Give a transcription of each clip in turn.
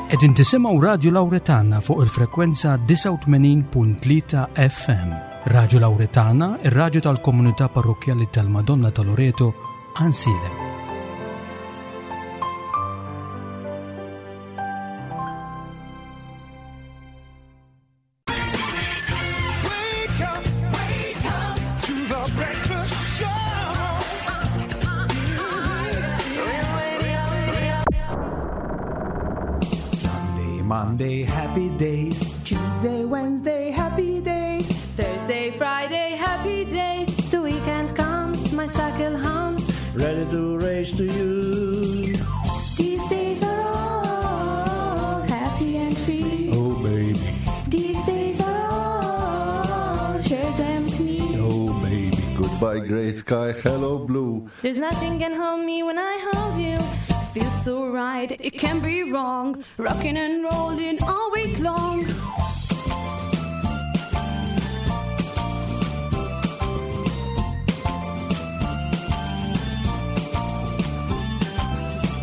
Qegħdin tisimgħu Radju Lawretana fuq il-frekwenza 89.3 FM. Radju Lawretana, ir-radju tal-komunità parrokkjali tal-Madonna ta' Loreto, Ansilem. Sunday, Monday, happy days. Tuesday, Wednesday, happy days. Thursday, Friday, happy days. The weekend comes, my cycle hums. Ready to race to you. These days are all happy and free. Oh, baby. These days are all, share them with me. Oh, baby. Goodbye, gray sky. Hello, blue. There's nothing can hold me when I hold you. Feels so right, it can be wrong. Rocking and rolling all week long.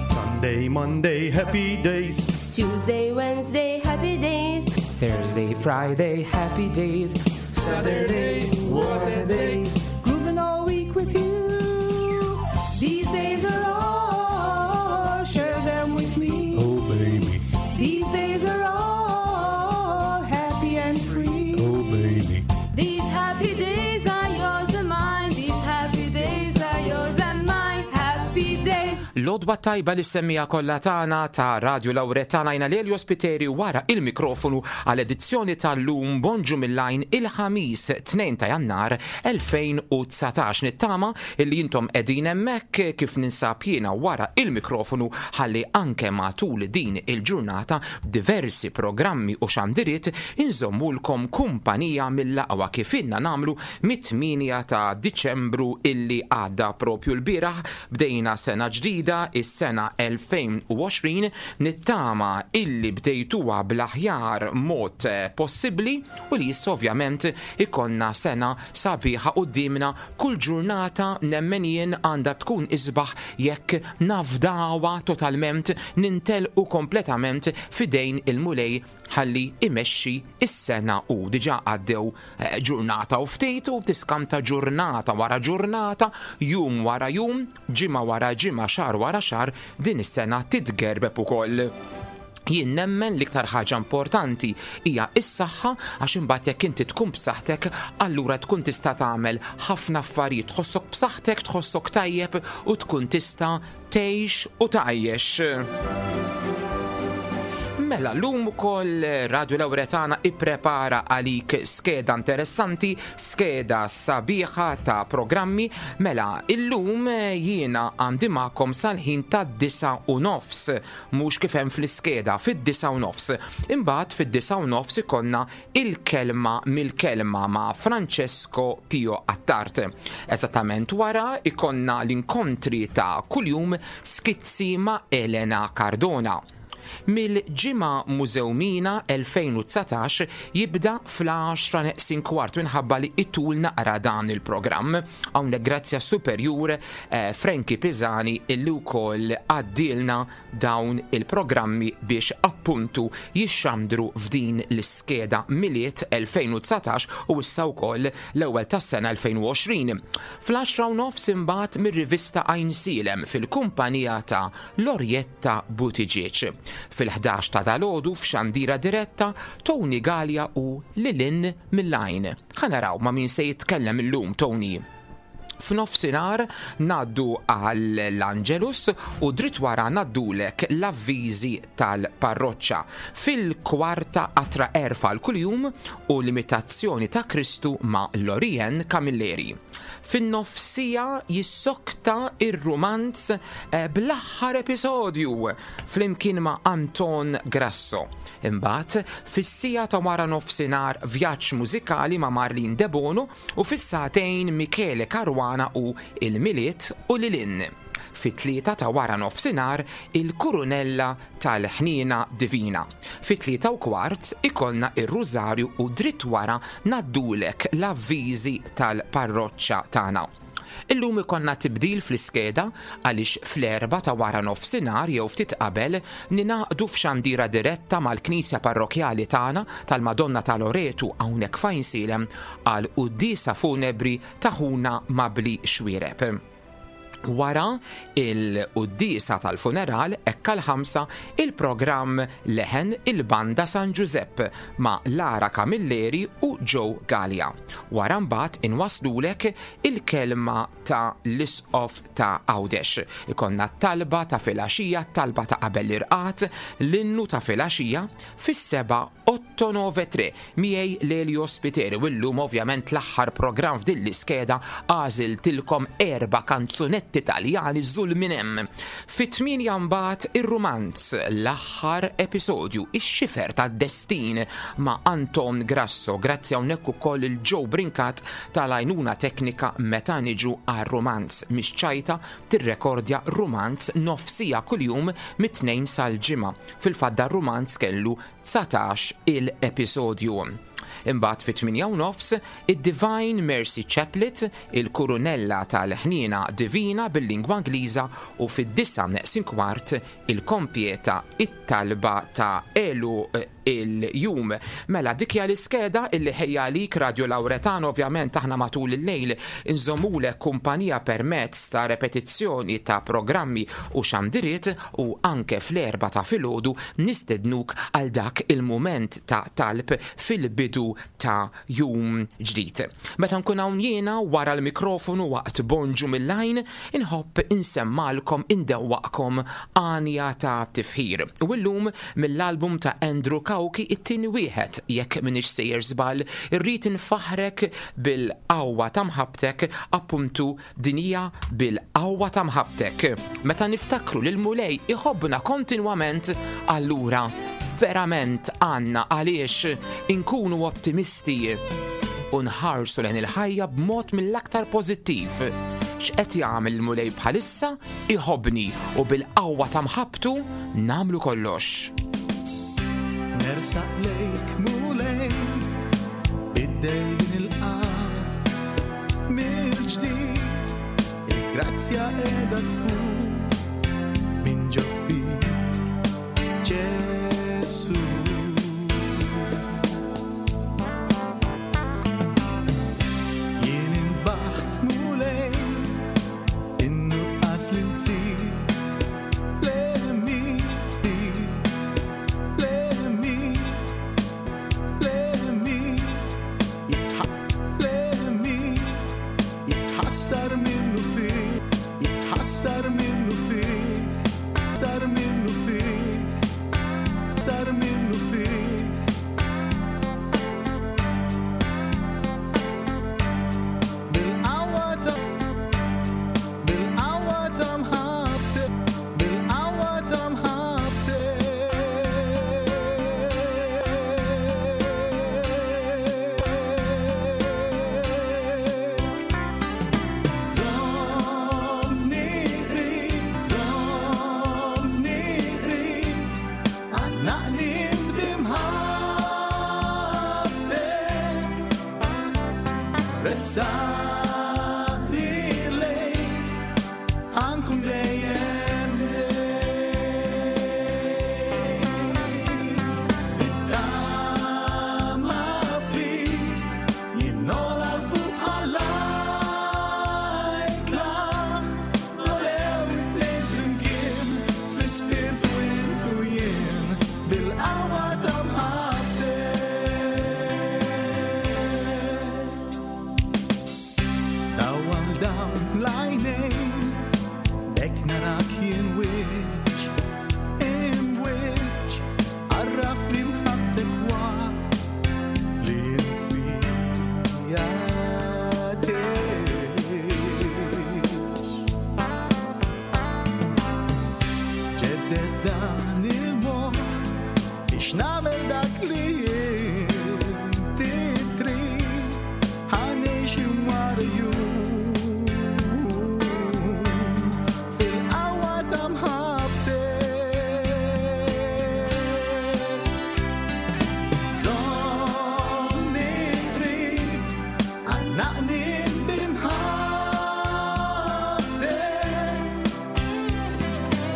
Sunday, Monday, happy days. It's Tuesday, Wednesday, happy days. Thursday, Friday, happy days. Saturday, what a day. Grooving all week with you. These days are all, share them with me. Oh, baby. These days are all happy and free. Oh, baby. These happy days are yours and mine. These happy days are yours and mine. Happy days. L-għodwa t-tajba lis-semmiegħa kollha tagħna ta' Radju Lawretana jiena Lelio Spiteri wara il-mikrofonu għal edizzjoni tal-lum Bonġu mill-Għajn il-Ħamis 2 ta' Jannar 2019. Nittama illi intom qegħdin hemmhekk kif ninsab jiena wara il-mikrofonu ħalli anke matul din il-ġurnata b'diversi programmi u xandiriet inżommulkom kumpanija mill-aqwa kif ilna nagħmlu mit-8 ta' Diċembru illi għadda propju l-bieraħ bdejna sena ġdida, is-sena 2020, nittama illi bdejtuha bl-aħjar mod possibbli u li issa ovvjament ikollna sena sabiħa quddiemna, kull ġurnata nemmen jien għandha tkun isbaħ jekk nafdawha totalment, nintelqu kompletament f'idejn il-Mulej ħalli imexxi s-sena hu. Diġà għaddew ġurnata u ftit u tiskanta ġurnata wara ġurnata, jum wara jum, ġimgħa wara ġimgħa, xahar wara xahar, din is-sena titgerbeb ukoll. Jien nemmen l-iktar ħaġa importanti hija s-saħħa għax imbagħad jekk inti tkun b'saħħtek allura tkun tista' tagħmel ħafna affarijiet, tħossok b'saħħtek, tħossok tajjeb u tkun tista' tgħix u tgħajjex. Mela, llum ukoll Radio Lawretana ipprepara għalik skeda interessanti, skeda sabiħa ta' programmi. Mela, illum jiena għandi magħkom sal-ħin tad-9:30, mhux kif hemm fl-iskeda, fid-9:30. Imbagħad fid-9:30 ikollna Il-Kelma mill-Kelma ma' Francesco Pio Attard. Eżattament wara jkollna l-inkontri ta' kuljum Skizzi ma' Elena Cardona. Mill-Ġimgħa Mużewmina 2019 jibda fl-għaxra neqsin kwart minħabba li itul naqra dan il-programm. Hawnhekk grazzi għas-Superjur Frankie Pisani illi wkoll għaddielna dawn il-programmi biex appuntu jixxandru f'din l-iskeda Milied 2019 u issa wkoll l-ewwel tas-sena 2020. Fl-għaxra u nofs imbagħad mir-rivista Għajnsielem fil-kumpanija ta' Lorietta Buttigieg. Fil-ħdax ta' dalgħodu f'xandira diretta Tony Galea u Lil Hinn mill-Għajn. Ħa naraw ma' min se jitkellem illum Tony. F'nofsinhar ngħaddu għall-Angelus u dritt wara ngħaddulek l-avviżi tal-parroċċa. Fil-kwarta qatra għerf għal kuljum u l-imitazzjoni ta' Kristu ma' Lorien Camilleri. Fin-nofsija jissokta r-rumanz bl-aħħar episodju flimkien ma' Anton Grasso. Imbagħad, fis-siegħa ta' wara nofsinhar vjaġġ mużikali ma' Marlene Debono U fis-sagħtejn Michele Caruana u Il-Milied u Lil Hinn. Fit-tlieta ta' wara nofsinhar Il-Kurunella tal-Ħniena Divina. Fit-tlieta u kwart ikollna ir-Rużarju u dritt wara ngħaddulek l-avviżi tal-parroċċa tagħna. Illum ikollna tibdil fl-iskeda għaliex fl-erbgħa ta' wara nofsinhar jew ftit qabel ningħaqdu f'xandira diretta mal-Knisja Parrokkjali tagħna tal-Madonna ta' Loretu hawnhekk f'Għajnsielem għal quddiesa funebri ta' ħuna Mabli Xuereb. Wara il-quddiesa tal-funeral hekk għall-ħamsa il-programm Leħen il-Banda San Ġużepp ma' Lara Camilleri u Joe Galea. Wara mbagħad inwasslulek il-kelma ta' l-Isqof ta' Għawdex. Ikollna t-talba ta' filgħaxija, t-talba ta' qabel l-irqad, l-innu ta' filgħaxija fis-sebgħa Otto Nove Tre, miegħi Lelio Spiteri u llum ovvjament l-aħħar programm f'din l-iskeda għażiltilkom erba' kanzunetti Taljani żul minn hemm. Fit-tmienja mbagħad ir-rumanz, l-aħħar episodju, Ix-Xifer tad-Destin ma' Anton Grasso. Grazzi hawnhekk ukoll lil Joe Brincat tal-għajnuna teknika meta niġu għar-rumanz. Mhix ċajta tirrekordja rumanz nofs siegħa kuljum mit-Tnejn sal-Ġimgħa. Fil-fatt dar-rumanz kellu 19 il-episodju. Imbagħad fit-tmienja u nofs, id-Divine Mercy Chaplet, il-Kurunella tal-Ħniena Divina bil-lingwa Ingliża u fid-disgħa neqsin kwart il-Kompieta it-Talba ta' Għeluq il-Jum. Mela dik hija l-iskeda illi ħejja għalik Radio Lauretano, ovvjament aħna matul il-lejl inżommulek kumpanija permezz ta' repetizzjoni ta' programmi u xandiriet u anke fl-erbgħa ta' filgħodu nistednuk għal dak il-mument ta' talb fil-bidu ta' jum ġdid. Meta nkun hawn jiena wara l-mikrofonu waqt Bonġu mill-Għajn, inħobb insemmagħlkom, indewwaqkom għanja ta' tifħir. U llum mill-album ta' Andrew Cauchi it-tieni wieħed, jekk m'iniex sejjer żball, irrid infaħħrek bil-qawwa ta' mħabbtek appuntu Din hija bil-qawwa ta' mħabbtek. Meta niftakru li l-Mulej iħobbna kontinwament, allura verament għandna għaliex inkunu ottimisti u nħarsu lejn il-ħajja b'mod mill-aktar pożittiv. X'qed jagħmel il-Mulej bħalissa? Iħobbni u bil-qawwa ta' mħabbtu nagħmlu kollox. Nersaq lejk Mulej, biddel din il-qalb mill-ġdid, il-grazzja qiegħda tfur minn ġo fik, Ġesu. Jien inbaħt Mulej, in-nuqqas li nsir Bil-qawwa ta' Bil-qawwa ta' mħabbtek, bil-qawwa ta' mħabbtek. Żommni qrib, żommni qrib, għannaqni int bi mħabbtek. Ressaqni lejk, ħankun dejjem ħdejk. Bit-tama fik, jien nogħla 'l fuq bħall-ajkla. Nolew it-tnejn flimkien, fl-ispirtu int u jien, bil-qawwa ta' mħabbtek.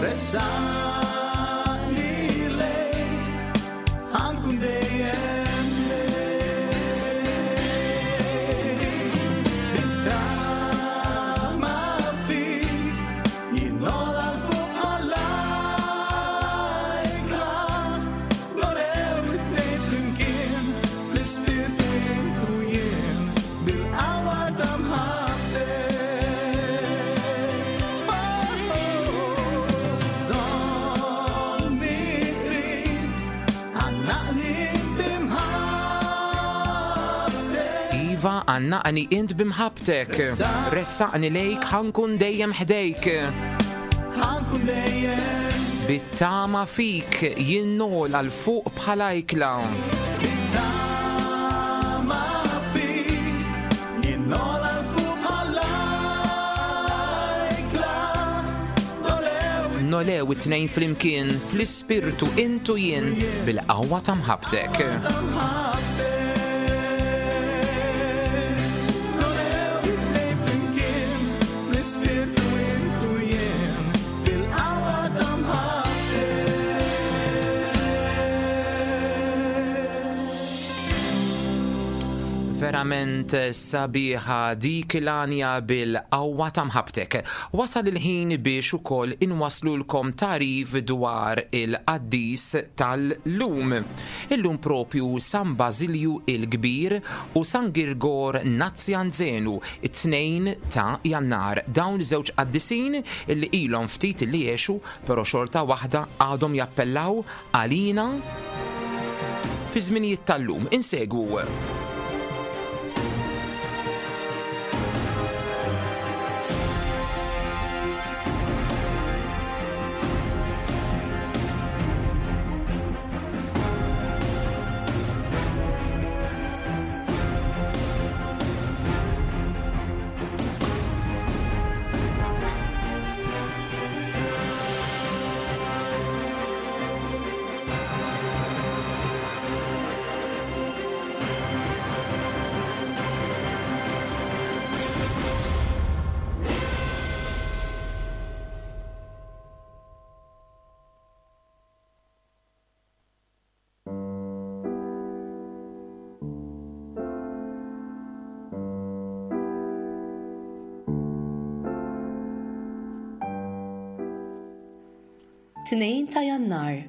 Ressaqni lejk, ħa nkun dejjem lejk. Bit-tama fik, jien nogħla 'l fuq bħall-ajkla. Nolew it-tnejn flimkien, fl-ispirtu int u jien, bil-qawwa ta' mħabbtek. Żommni qrib, għannaqni b'imħabbtek. Iva, għannaqni int b'imħabbtek. Ressaqni lejk, ħa nkun dejjem ħdejk. Ħa nkun dejjem. Bit-tama fik, jien nogħla 'l fuq bħal ajkla. Bit-tama fik, jien nogħla 'l fuq bħal ajkla. Nolew Nolew it-tnejn flimkien, fl-ispirtu int u jien, bil-qawwa ta' mħabbtek. Fl-ispirtu int u jien, bil-qawwa ta' mħabbtek. Verament sabiħa dik l-għanja bil-qawwa ta' mħabbtek. Wasal il-ħin biex ukoll inwaslulkom tagħrif dwar il-qaddis tal-lum. Illum propju San Bażilju il-Kbir u San Girgor Nazzjanzenu, it-tnejn ta' Jannar. Dawn żewġ qaddisin illi ilhom ftit li għexu, però xorta waħda għadhom jappellaw għalina fi żminijiet tal-lum. Insegwu. Tnejn ta' Jannar,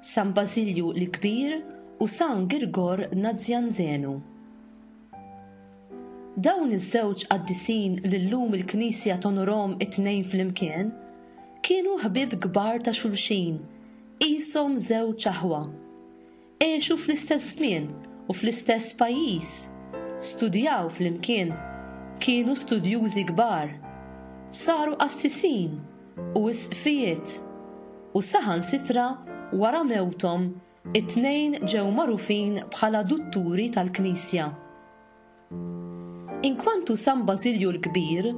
San Bażilju l-Kbir u San Girgor Nazzjanzenu. Dawn iż-żewġ qaddisin li llum il-Knisja tonorhom it-tnejn flimkien, kienu ħbieb kbar ta' xulxin, qishom żewġ aħwa. Għexu fl-istess żmien u fl-istess pajjiż, studjaw flimkien, kienu studjużi kbar, saru qassisin u isqfijiet, u saħansitra wara mewthom it-tnejn ġew magħrufin bħala dutturi tal-Knisja. Inkwantu San Bażilju l-Kbir,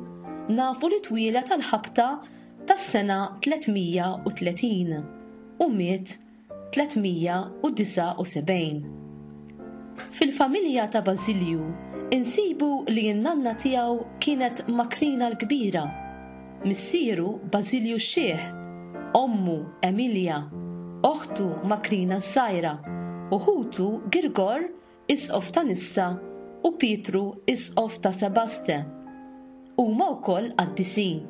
nafu li twieled għall-ħabta tas-sena 330 u miet 379. Fil-familja ta' Bażilju insibu li n-nanna tiegħu kienet Makrina l-Kbira, missieru Bażilju x-Xiħ, ommu Emilja, oħtu Makrina ż-Żgħira u ħutu Girgor Isqof ta' Nissa u Pietru Isqof ta' Sebaste. Huma wkoll qaddisin.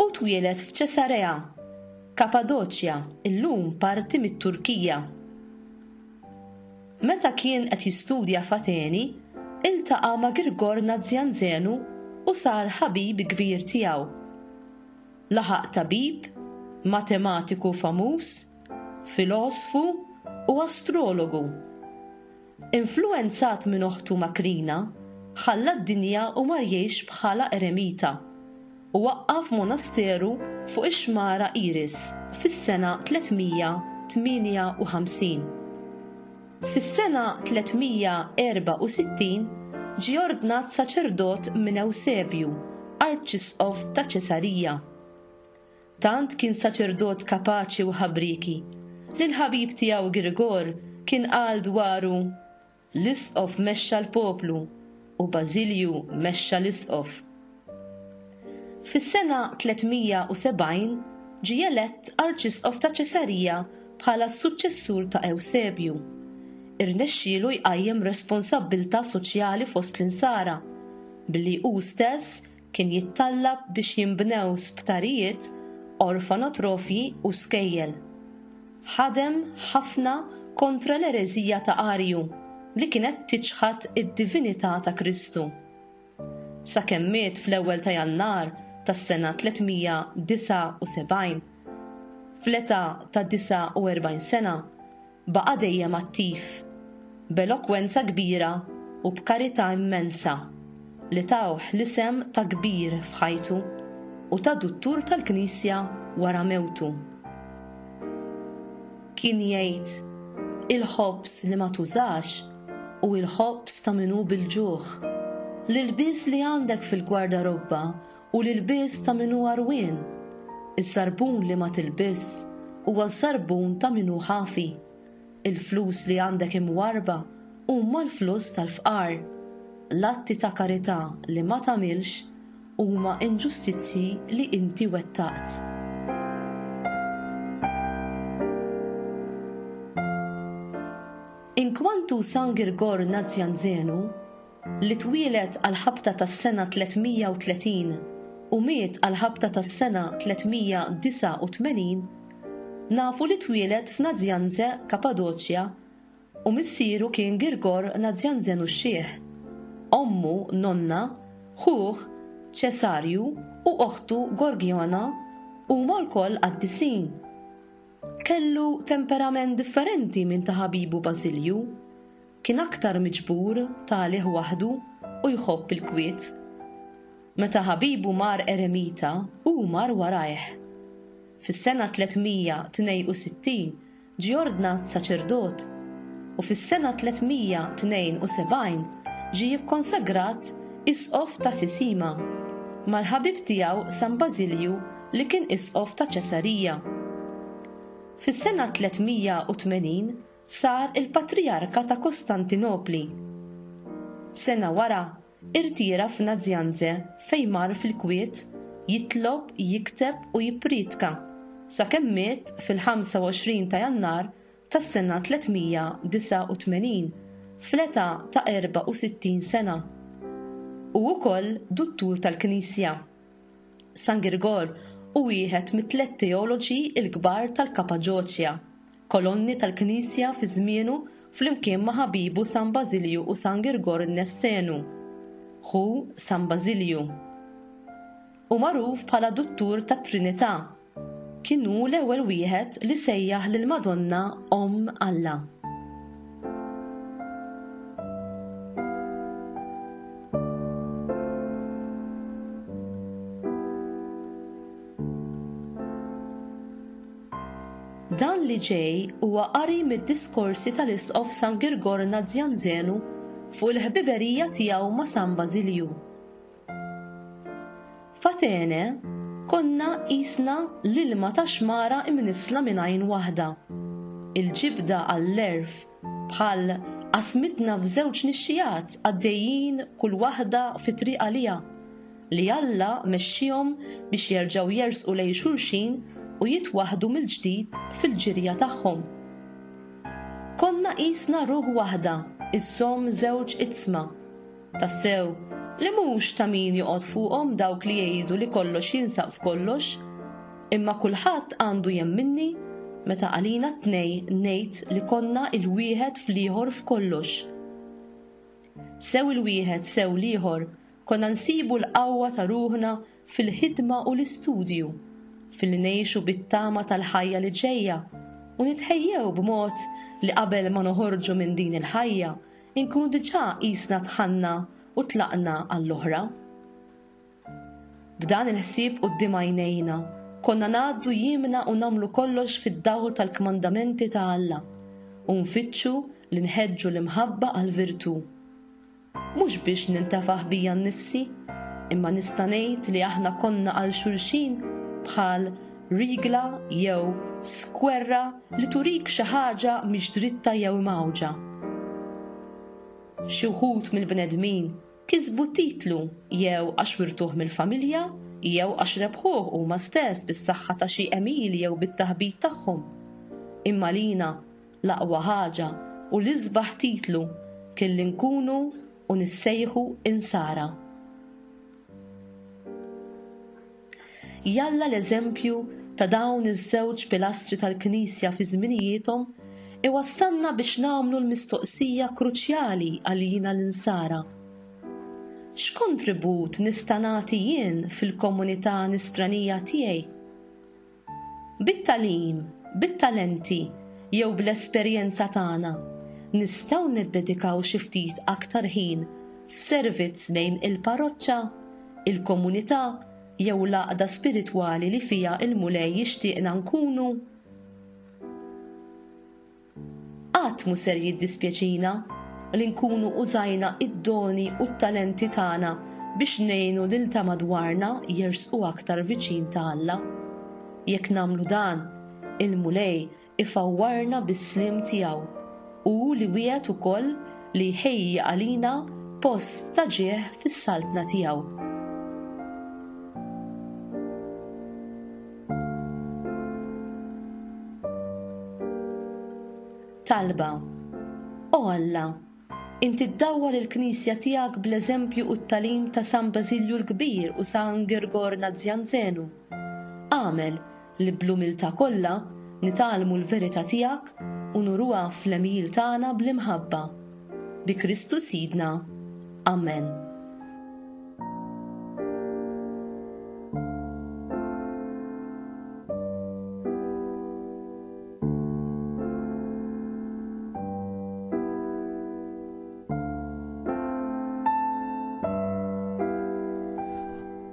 Hu twieled f'Ċesarea, Kapadoċja, illum parti mit-Turkija. Meta kien qed jistudja f'Ateni, iltaqa' ma' Girgor Nazzjanzenu u sar ħabib kbir tiegħu. Laħaq tabib, matematiku famuż, filosfu u astrologu. Influwenzat minn oħtu Makrina, ħalla d-dinja u mar jgħix bħala eremita, u waqqaf monasteru fuq ix-xmara Iris fis-sena 358. Fis-sena 364 ġie ordnat saċerdot minn Ewsebju, Arċisqof ta' Ċesarija. Tant kien saċerdot kapaċi u ħabrieki, li l-ħabib tiegħu Girgor kien qal dwaru, L-isqof mexxa l-poplu u Bażilju mexxa l-isqof. Fis-sena 370 ġie elett Arċisqof ta' Ċesarija bħala s-suċċessur ta' Ewsebju. Irnexxielu jqajjem responsabbiltà soċjali fost l-Insara, billi hu stess kien jittallab biex jinbnew sptarijiet, orfanotrofji u skejjel. Ħadem ħafna kontra l-ereżija ta' Arju li kienet tiċħad id-divinità ta' Kristu. Sakemm miet fl-ewwel ta' Jannar tas-sena 379, fl-età ta' 49 sena, baqa' dejjem attiv, b'elokwenza kbira u b'karità immensa li tawh l-isem ta' kbir f'ħajtu u ta' duttur tal-Knisja wara mewtu. Kien jgħid, Il-ħobż li ma tużax hu l-ħobż ta' min hu bil-ġuħ. L-ilbies li għandek fil-gwardarobba hu l-ilbies ta' min hu għarwien. Iż-żarbun li ma tilbisx huwa ż-żarbun ta' min hu ħafi. Il-flus li għandek imwarrba huma l-flus tal-fqar. L-atti ta' karità li ma tagħmilx huma inġustizzji li inti wettaqt. Inkwantu San Girgor Nazjanzenu, li twieled għall-ħabta tas-sena 330 u miet għall-ħabta tas-sena 389, nafu li twieled f'Nazjanze, Kapadoċja, U missieru kien Girgor Nazjanzenu x-Xiħ, ommu Nonna, ħuh Ċesarju u oħtu Gorgjona huma lkoll qaddisin. Kellu temperament differenti minn ta' ħabibu Bażilju. Kien aktar miġbur, ta' għalih waħdu u jħobb il-kwiet. Meta ħabibu mar eremita, hu mar warajh. Fis-sena 362 ġie ordnat saċerdot u fis-sena 372 ġie kkonsagrat Isqof ta' Sisima, mal-ħabib tiegħu San Bażilju li kien Isqof ta' Ċesarija. Fis-sena 380 sar il-Patrijarka ta' Kostantinopli. Sena wara Irtira f'Nazianze fejn mar fil-kwiet jitlob, jikteb u jipprietka sakemm miet fil-25 ta' Jannar tas-sena 389 fl-età ta' 64 sena. Hu wkoll Duttur tal-Knisja. San Girgor hu wieħed mit-tlett teoloġi l-kbar tal-Kapaġoċja, kolonni tal-Knisja fi żmienu flimkien ma' ħabibu San Bażilju u San Girgor in-Nessenu, ħu San Bażilju. Hu magħruf bħala Duttur tat-Trinità. Kien hu l-ewwel wieħed li sejjaħ lill-Madonna Omm Alla. Dan li ġej huwa qari mid-diskorsi tal-Isqof San Girgor Nazjanzenu fuq il-ħbiberija tiegħu ma' San Bażilju. F'Atene konna qisna l-ilma ta' xmara imnissla minn għajn waħda. Il-ġibda għall-għerf bħal qasmitna f'żewġ nixxigħat għaddejjin kull waħda fi triq għaliha, li Alla mexxiehom biex jerġgħu jersqu lejn xulxin u jitwaħħdu mill-ġdid fil-ġirja tagħhom. Konna qisna ruħ waħda żżomm żewġ iġsma. Tassew, li mhux ta' min joqgħod fuqhom dawk li jgħidu li kollox jinsab f'kollox, imma kulħadd għandu jemminni meta għalina t-tnej ngħid li konna il-wieħed fl-ieħor f'kollox. Sew il-wieħed sew l-ieħor konna nsibu l-qawwa ta' ruħna fil-ħidma u l-istudju, filli ngħixu bit-tama tal-ħajja li ġejja u nitħejjew b'mod li qabel ma noħorġu minn din il-ħajja Inkunu diġà qisna dħalna u tlaqna għall-oħra. B'dan il-ħsieb quddiem għajnejna, konna ngħaddu jiemna u nagħmlu kollox fid-dawl tal-kmandamenti ta' Alla u nfittxu li nħeġġu l-imħabba għall-virtù. Mhux biex nintefaħ bija nnifsi, imma nista' ngħid li aħna konna għal xulxin bħal rigla jew skwerra li turik xi ħaġa mhix dritta jew imgħawġa. Xi wħud mill-bnedmin kisbu titlu jew għax wirtuh mill-familja jew għax rebħuh huma stess bis-saħħa ta' xi għemil jew bit-taħbit tagħhom. Imma lina l-aqwa ħaġa u l-isbaħ titlu kien li nkunu u nissejħu Insara. Jalla l-eżempju ta' dawn iż-żewġ pilastri tal-Knisja fi żminijiethom iwassalna biex nagħmlu l-mistoqsija kruċjali għalina l-Insara, X'kontribut nista' nagħti jien fil-komunità Nisranija tiegħi? Bit-tagħlim, bit-talenti jew bl-esperjenza tagħna, nistgħu niddedikaw xi ftit aktar ħin f'servizz lejn il-parroċċa, il-komunità jew l-għaqda spiritwali li fiha l-Mulej jixtieqna nkunu? Qatt mhu ser jiddispjaċina li nkunu użajna d-doni u t-talenti tagħna biex ngħinu lil ta' madwarna jersqu aktar viċin ta' Alla. Jekk nagħmlu dan, il-Mulej ifawwarna bis-sliem tiegħu, hu li wiegħed ukoll li jħejji għalina post ta' ġieħ fis-Saltna tiegħu. Talba, O Alla, inti ddawwar il-Knisja tiegħek bl-eżempju u t-tagħlim ta' San Bażilju l-Kbir u San Girgor Nazjanzenu. Agħmel li bl-umiltà kollha nitgħallmu l-verità tiegħek u nuruha fl-għemil tagħna bl-imħabba. Bi Kristu Sidna. Amen.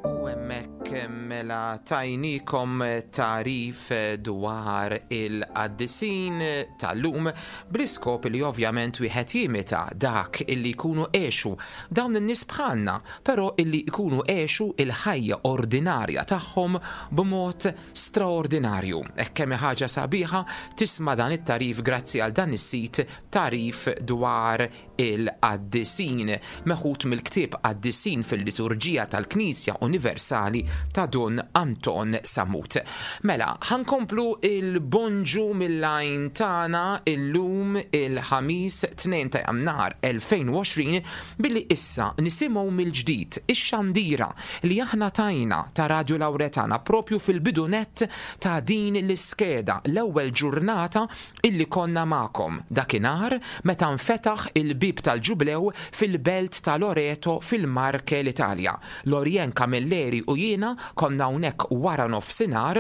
U hemmhekk mela tajnikom tarif dwar il-qaddisin tal-lum bl-iskop li ovvjament wieħed jimita dak illi jkunu għexu dawn in-nies bħalna, però illi jkunu għexu il-ħajja ordinarja tagħhom b'mod straordinarju. Hekk kemm hi ħaġa sabiħa tisma' dan it-tagħrif grazzi għal dan is-sit Tagħrif dwar il-Qaddisin, meħud mill-ktieb Qaddisin fil-Liturġija tal-Knisja Universali ta' Dun Anton Sammut. Mela, ħa nkomplu il-bonġu mill-għajn tagħna illum il-Ħamis 2 ta' Jannar 2020 billi issa nisimgħu mill-ġdid ix-xandira li aħna tajna ta' Radju Lawretana propju fil-bidu nett ta' din l-iskeda, l-ewwel ġurnata illi konna magħkom dakinhar meta nfetaħ il-bieb tal-Ġublew fil-belt ta' Loreto fil-Marche l-Italja. Lorien Camilleri u jiena konna hawnhekk waranofsinhar,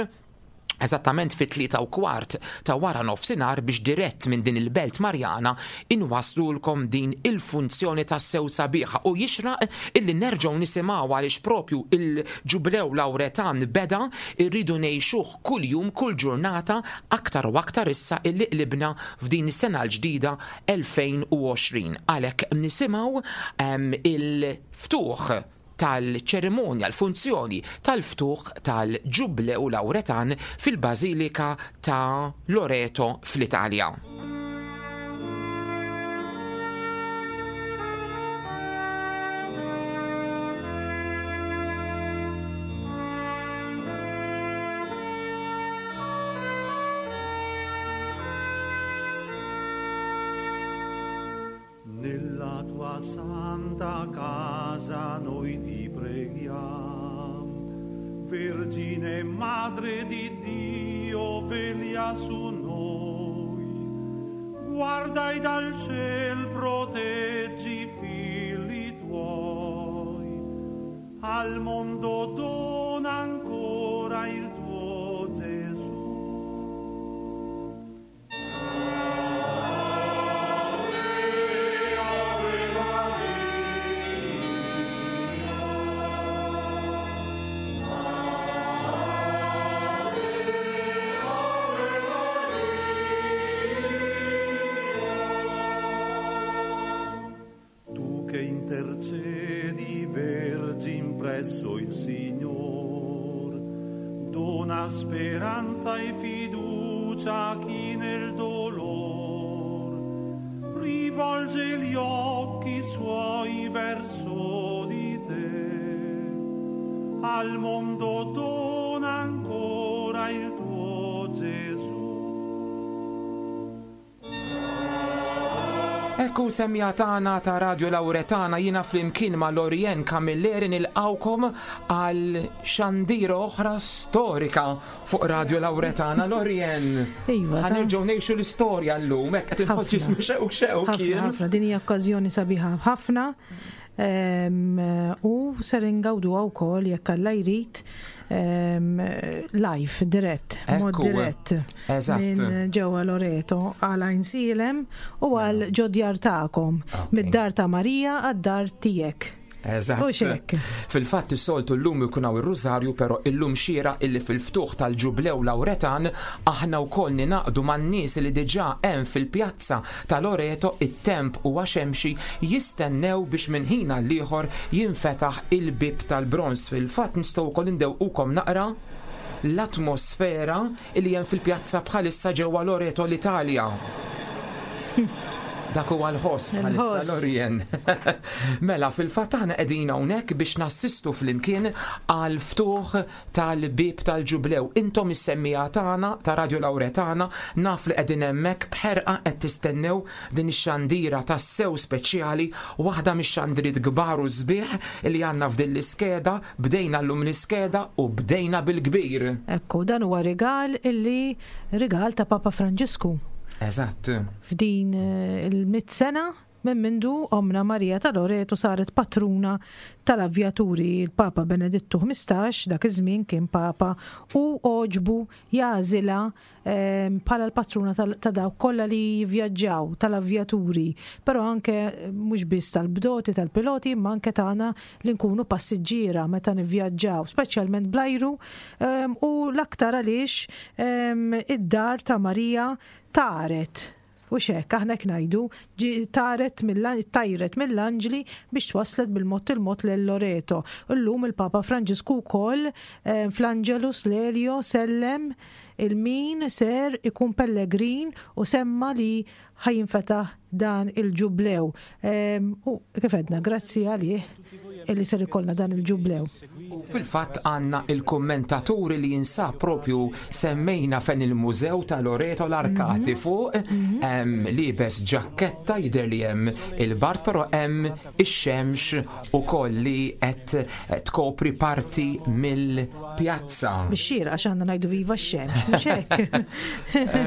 eżattament fit-3:15 ta' waranofsinhar biex dirett minn din il-belt Marjana inwasslulkom din il-funzjoni tassew sabiħa u jixraq illi nerġgħu nisimgħu għaliex propju il-Ġublew Lawretan beda, irridu ngħixuh kuljum, kull ġurnata, aktar u aktar issa illi qlibna f'din is-sena l-ġdida 2020. Għalhekk nisimgħu il-ftuħ tal-ċerimonja, l-funzjoni tal-ftuħ tal-Ġublew Lawretan fil-Bażilika ta' Loreto fl-Italja. Nella tua santa casa noi ti preghiamo, Vergine Madre di Dio, veglia su noi. Guardai dal ciel, proteggi i figli tuoi. Al mondo dona ancora il tuo Gesù. Tu che intercedi, Vergine, presso il Signor, dona speranza e fiducia a chi nel dolor rivolge gli occhi suoi verso di te. Al mondo dona ancora il tuo Gesù. Ekku semja tagħna ta' Radio Lauretana jiena flimkien ma' Lorien Camilleri nilqawkom għal xandira oħra storika fuq Radio Lauretana. Lorien, Iva, ta' ħanerġgħu ngħixu l-istorja llum, hekk qed inħoss ġismi xewk xewk Ħafna, jien. ħafna, din hija okkażjoni sabiħa ħafna. U ser ingawduha wkoll jekk Alla jrid live, dirett, mod Ekku, dirett. Eżatt. Minn ġewwa Loreto għal Għajnsielem u għal ġodjar tagħkom. Mid-dar ta' Marija għad-dar tiegħek. Eżatt. U xek. Fil-fatt is-soltu llum ikun hawn ir-Rużarju, però illum xiera illi fil-ftuħ tal-Ġublew Lawretan aħna wkoll ninaqdu man-nies li diġà hemm fil-pjazza ta' Loreto it-temp huwa xemxi jistennew biex minn ħin għal ieħor jinfetaħ il-bib tal-bronż. Fil-fatt nistgħu wkoll indewqukom naqra l-atmosfera li hemm fil-pjazza bħalissa ġewwa Loreto l-Italja. Dak huwa l-ħoss bħalissa Il-ħoss. Lorien. Mela, fil-fatt aħna qegħdin hawnhekk biex nassistu flimkien għal ftuħ tal-bib tal-ġublew. Intom is-semmija tagħna ta' Radio Lauretana naf li qegħdin hemmhekk b'ħerqa qed tistennew din ix-xandira tassew speċjali, waħda mix-xandiriet kbar u sbieħ li għandna f'din l-iskeda, bdejna llum l-iskeda u bdejna bil-kbir. Ekku, dan huwa rigal illi rigal ta' Papa Franġisku. Eżatt. F'din il-mit sena minn mindu omna Marija ta' Loreto saret patruna tal-avvjaturi. Il-Papa Benedittu 15 dak iż-żmien kien Papa u oġbu jażilha bħala l-patruna ta' dawk kollha li jivvjaġġaw tal-avvjaturi, però anke mhux biss tal-bdoti, tal-piloti, imma anke tagħna li nkunu passiġġiera meta nivvjaġġaw, speċjalment bl-ajru, u l-aktar għaliex id-dar ta' Marija taret. U xek, aħna hekk ngħidu, ġi taret tajret mill-anġli biex twaslet bil-mod il-mod lil Loreto. Illum il-Papa Franġisku wkoll fl-Angelus Lelio sellem il-min ser ikun pellegrin u semma li ħajinfetaħ dan il-ġublew. U kif għedna, grazzi għalih illi ser ikollna dan il-ġublew. U fil-fatt għandna il-kommentaturi li jinsab propju semmejna fejn il-mużew ta' Loreto l-arkati fuq, libes ġaketta jidher li hemm il-bart, però hemm ix-xemx ukoll li qed tkopri parti mill-pjazza. Bix-xira, għax għandna ngħidu viva x-xemx, mhux hekk?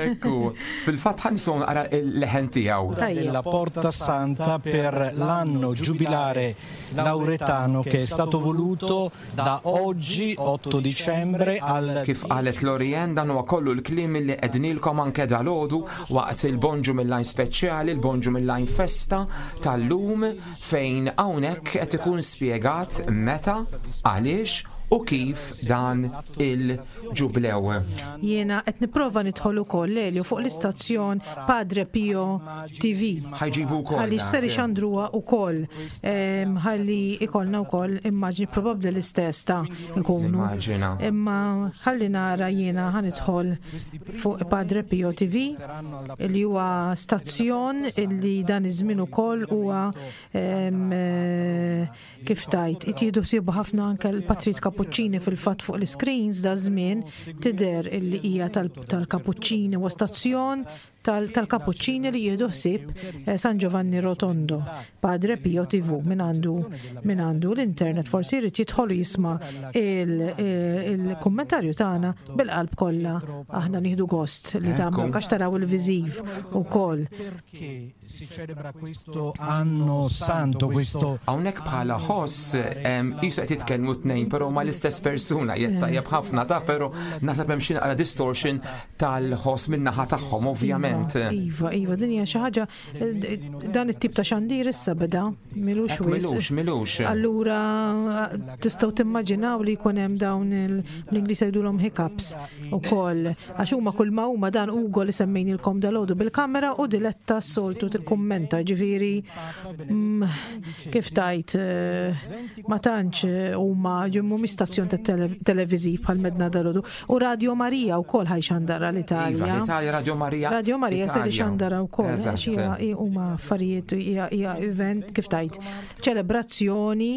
Ekku, fil-fatt ħa nisimgħu naqra il-leħen tiegħu. Tajjeb. Della Porta Santa per l'anno giubilare lauretano che è stato voluto da oggi 8 dicembre al Kif qalet Lorien, dan huwa kollu l-kliem li qednilkom anke dalgħodu waqt il-Bonġu mill-Lajn speċjali, il-Bonġu mill-Lajn festa tal-lum, fejn hawnhekk qed ikun spjegat meta, għaliex u kif dan il-ġublew. Jiena qed nipprova nidħol ukoll Lelio fuq l-istazzjon Padre Pio TV. Ħajġibu wkoll Ħalli dak. ser ixandruha wkoll. Ħalli ikollna wkoll immaġni probabbli l-istess ta' ikunu. Nimmaġina. Imma ħalli nara jiena ħa nidħol fuq Padre Pio TV li huwa stazzjon illi dan iż-żmien ukoll huwa kif tajt, itjiedu sibu ħafna anke l-Patrit Kapuċċini fil-fatt fuq l-screens da żmien tidher illi hija tal-Kapuċċini u stazzjon tal-Kapuċċini li jieħdu ħsieb San Giovanni Rotondo, Padre Pio TV, min għandu l-internet forsi jrid jidħol jisma' il-kummentarju tagħna bil-qalb kollha. Aħna nieħdu gost li tagħmlu għax taraw il-viżiv ukoll. Perché si celebra questo anno santo, questo Hawnhekk bħala ħoss, qisu qed jitkellmu tnejn, però ma l-istess persuna, jgħid tajjeb ħafna ta' però naħseb hemm xi naqra distortion tal-ħoss min-naħa tagħhom, ovvjament. Iva, iva, din hija xi ħaġa, dan it-tip ta' xandir issa beda, milux Hekk wisq. Milux, milux. Allura tistgħu timmaġinaw li jkun hemm dawn l-Ingliż jgħidulhom hiccups ukoll, għax huma kull ma huma dan Ugo li semmejnilkom dalgħodu bil-kamera u Diletta s-soltu tikkummenta, ġifieri, kif tajt, ma tantx huma ġimmu stazzjon ta' televiżiv bħal medna dalgħodu. U Radio Maria wkoll ħajxandara l-Italja. Iva, l-Italja Radio Maria. Radio Radio Maria ser Italia. ixandara wkoll. Eżatt. Għax hija huma affarijiet hija event kif tajt ċelebrazzjoni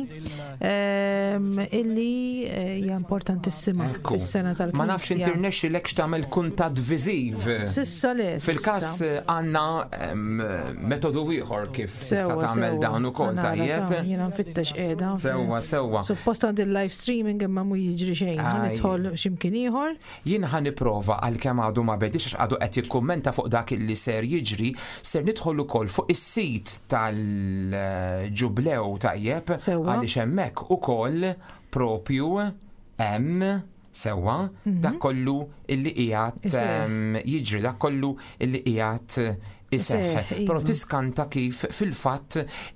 illi hija importantissima Ekku. fis-sena tal-Knisja. Ma nafx inti rnexxilek x'tagħmel kuntatt viżiv. Sissa le. Fil-każ sissa. għandna metodu ieħor kif tista' Sewwa, tagħmel sewwa. dan ukoll Nara, tajjeb. ta' Jiena nfittex qiegħda. Sewwa, sewwa. Suppost għandi live streaming imma mu jiġri xejn. Ħa Aj. Nidħol x'imkien ieħor. Jien ħa nipprova għalkemm għadu ma bedix għax għadu qed jikkummenta fuq dak li ser jiġri, ser nidħol ukoll fuq is-sit tal-ġublew tajjeb Sewwa. għaliex hemmhekk ukoll propju hemm sewwa dak kollu illi qiegħed Iseħħ. jiġri, dak kollu illi qiegħed iseħħ. Iseħħ, Però iva. tiskanta kif fil-fatt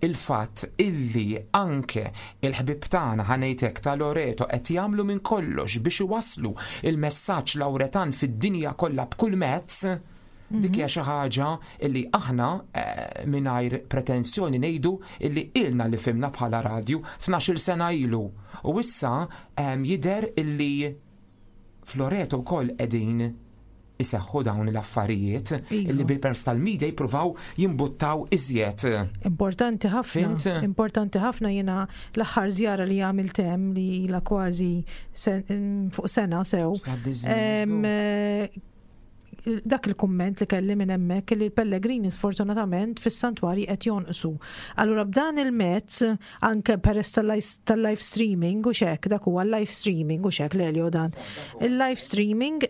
il-fatt illi anke il-ħbib tagħna ħanejtek ta' Loreto qed jagħmlu minn kollox biex iwasslu il-messaġġ Lawretan fid-dinja kollha b'kull mezz. Dik hija xi ħaġa illi aħna mingħajr pretenzjoni ngħidu illi ilna li fimna bħala radju 12-il sena ilu. U issa jidher illi Floreto wkoll qegħdin iseħħu dawn l-affarijiet Iva. illi bil-pers tal-media jippruvaw jimbuttaw iżjed. Importanti ħafna. Fhimt? Importanti ħafna jiena l-aħħar żjara li għamilt hemm li ilha kważi fuq sena sew. Għaddi żmien, Dak il-kumment li kelli minn hemmhekk li l-pellegrini sfortunatament fis-santwarji qed jonqsu. Allura b'dan il-mezz anke peress tal-live streaming u xek, dak huwa live streaming u xek Lelio dan. Il-live streaming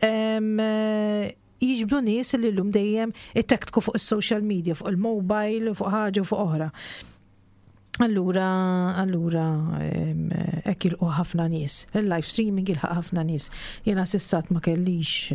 jiġbdu nies li llum dejjem ittektku fuq is-social media, fuq il-mobile, fuq ħaġa u fuq oħra. Allura, allura, hekk jilqu ħafna nies. Il-live streaming jilħaq ħafna nies. Jiena sissat ma kellix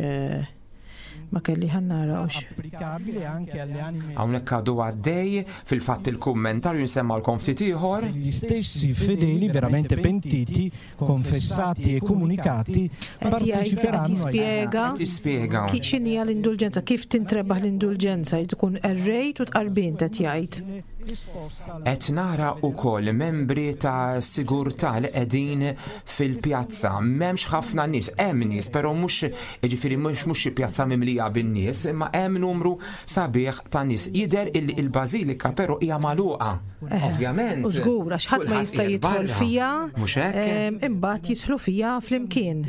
ma kelli ħannara ux. Applicabile anche alle anime Hawnhekk għadu għaddej, fil-fatt il-kummentarju nsemmalkom ftit ieħor. Gli stessi fedeli veramente pentiti, confessati e comunicati Qed jgħid, qed parteciperanno ai jispjega Qed jispjega. x'inhi l-indulġenza, kif tintrebaħ l-indulġenza, jrid tkun errejt u tqarbin qed jgħid. Qed nara wkoll membri ta' sigurtà li qegħdin fil-pjazza. M'hemmx ħafna nies, hemm nies, però mhux jiġifieri mhux xi pjazza mimlija bin-nies, imma hemm numru sabiħ ta' nies. Jidher illi il-bażilika però hija magħluqa. Ovvjament. U żgur, għax ħadd ma Kulħadd jista' qiegħed jidħol barra. fija, Mhux hekk? imbagħad jidħlu fija flimkien.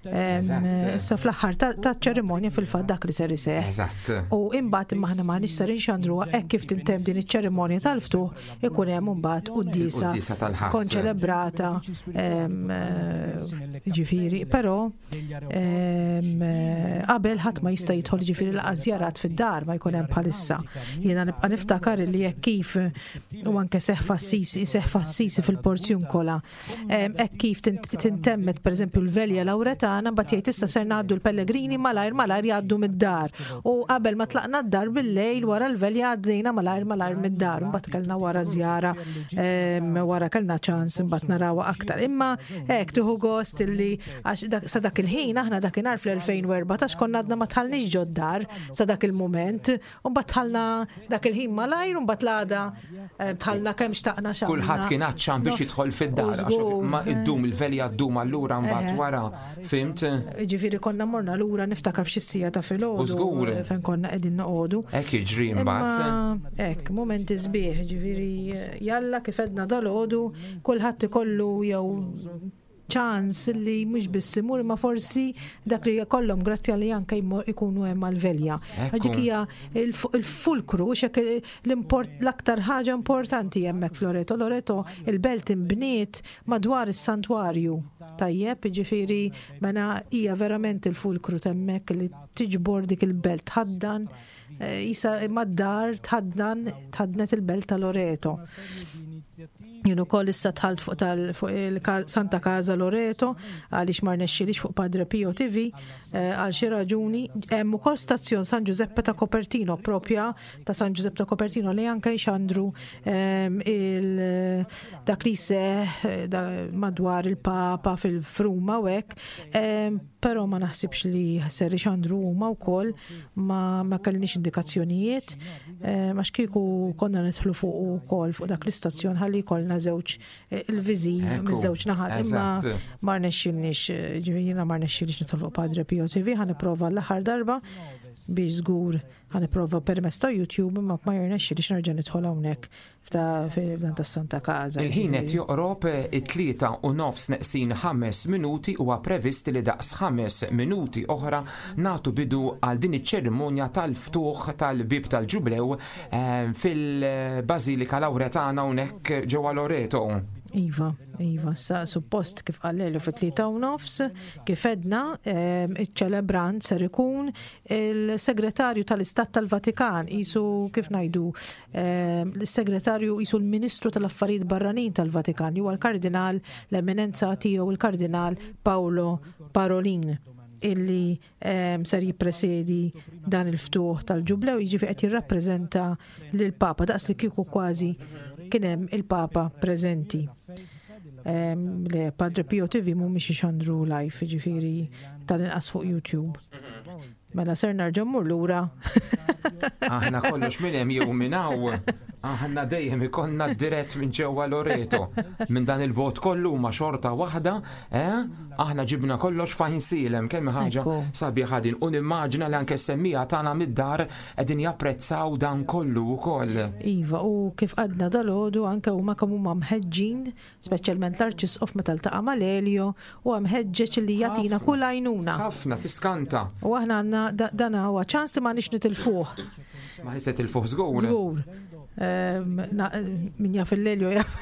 Eżatt. Issa fl-aħħar ta' ċerimonja fil-fatt dak li ser iseħħ. Eżatt. U imbagħad imma aħna m'aħniex ser inxandruha hekk kif tintemm din iċ-ċerimonja tal-ftuħ ikun hemm imbagħad quddiesa Il-quddiesa tal-Ħadd. konċelebrata ġifieri, però qabel ħadd ma jista' jidħol ġifieri laqas żjarat fid-dar ma jkun hemm bħalissa. Jiena nibqa' niftakar li jekk kif u anke seħ f'Assisi, seħ f'Assisi fil-Porzjunkola, hekk kif tintemmet pereżempju l-Velja Lawretana, mbagħad jgħid issa ser ngħaddu l-pellegrini malajr malajr jgħaddu mid-dar. U qabel ma tlaqna d-dar bil-lejl wara l-Velja għaddejna malajr malajr mid-dar, mbagħad kellna wara żjara, wara kellna ċans imbagħad narawha aktar. Imma hekk tieħu gost illi għax sa dak il-ħin aħna dakinhar fl-2014 konna għadna ma tħallniex ġod-dar sa dak il-mument, u mbagħad tħallna dak il-ħin malajr u mbagħad l-għada tħallna kemm xtaqna xamna. Kulħadd kien għatxan biex jidħol fid-dar, għax Żgur, ma iddum il-velja ddum allura mbagħad wara, fimt? Ġifieri konna morna lura niftakar f'xi sija ta' filgħodu. U żgur. Fejn konna qegħdin noqogħdu. Hekk jiġri mbagħad. Imma hekk, mumenti sbieħ, ġifieri jalla kif edna dalgħodu, kulħadd ikollu jew ċans li mhux biss imur imma forsi dak li jkollhom grazzja li anke ikunu hemm għal-velja. Ekku. Dik hija il-fulkru, xek l-aktar ħaġa importanti hemmhekk f'Loreto. Loreto il-belt imbniet madwar is-santwarju. Tajjeb, ġifieri mela hija verament il-fulkru t'hemmhekk li tiġbor dik il-belt tħaddan jisa mad-dar tħaddan tħadnet il-belt ta' Loreto. Jien ukoll issa dħalt fuq fuq il-Santa Casa Loreto għaliex ma rnexxilix fuq Padre Pio TV għal xi raġuni. Hemm ukoll stazzjon San Giuseppe ta' Copertino, propja ta' San Giuseppe ta' Copertino li anke jxandru dak li seħ madwar il-Papa fil-Fruma u hekk. Però ma naħsibx li ser ixandru huma wkoll, ma kellniex indikazzjonijiet, għax kieku konna nidħlu fuq ukoll fuq dak l-istazzjon ħalli jkollna żewġ il-viżiv miż-żewġ naħat, imma ma rnexxilniex, ġifieri jiena ma rnexxilix nidħol fuq Padre Pio TV, ħa nipprova l-aħħar darba. Biex żgur ħa nipprova permezz ta' YouTube imma ma jirnexxilix nerġa' nidħol hawnhekk f'dan tas-Santa Casa. Il-ħin qed joqrob it-tlieta u nofs neqsin ħames minuti huwa previst li daqs ħames minuti oħra nagħtu bidu għal din iċ-ċerimonja tal-ftuħ tal-bieb tal-Ġublew eh, fil-Bażilika Lawretana hawnhekk ġewwa Loreto. Iva, iva, sa suppost kif qal fit-tlieta u nofs, kif edna, ehm, iċ-ċelebrant ser ikun il-segretarju tal-Istat tal-Vatikan, jisu kif ngħidu, ehm, l-segretarju jisu l-Ministru tal-Affarijiet Barranin tal-Vatikan, huwa l-Kardinal l-Eminenza tiegħu il-Kardinal Paolo Parolin illi ehm, ser jippresedi dan il-ftuħ tal-ġublew, jiġifieri qed jirrappreżenta lill-Papa daqs li kieku kważi kien hemm il-Papa preżenti. Ehm, le Padre Pio TV mhumiex ixandru live, jiġifieri tal-inqas fuq YouTube. Mela ser nerġa' mmur lura. Aħna kollox minn hemm jew minn hawn. Aħna dejjem ikollna dirett minn ġewwa Loreto. Minn dan il-bot kollu ma xorta waħda, eh? Aħna ġibna kollox fajn silem, kemm ħaġa sabiħa din. U nimmaġina li anke semmija tagħna mid-dar qegħdin japprezzaw dan kollu wkoll. Iva, u kif għadna dal-għodu anke huma kemm huma mħeġġin Speċjalment l-Arċisqof meta ltaqa' mal-Elio huwa mħeġġeġ li jagħtina kull għajnuna. Ħafna tiskanta. U aħna għandna dan huwa ċans li m'għandniex nitilfuh. Ma se tilfuh żgur. Żgur. Ehm, min jaf il-Elio jaf.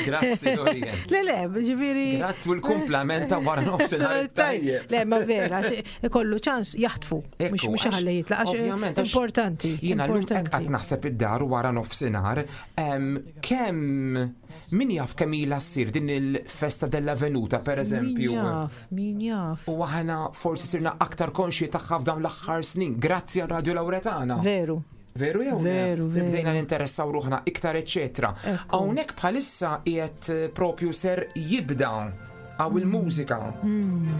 Grazzi, Dorian. Le, le, ġifieri. Grazzi u l-kumplament ta' wara nofsinhar tajjeb. Le, ma vera, ikollu ċans jaħtfu. Mhux mhux ħalli jitlaq għax importanti. Jiena llum hekk qatt naħseb id-dar wara nofsinhar Kemm min jaf kemm ilha ssir din il-festa della venuta pereżempju. Min jaf, min jaf. U aħna forsi sirna aktar konxji tagħha f'dawn l-aħħar snin, grazzi għal Radio Lauretana. Veru. Veru jew Veru, veru. Bdejna ninteressaw ruħna iktar eċetera. Hawnhekk bħalissa qiegħed eh, propju ser jibda għaw il-mużika. Hmm.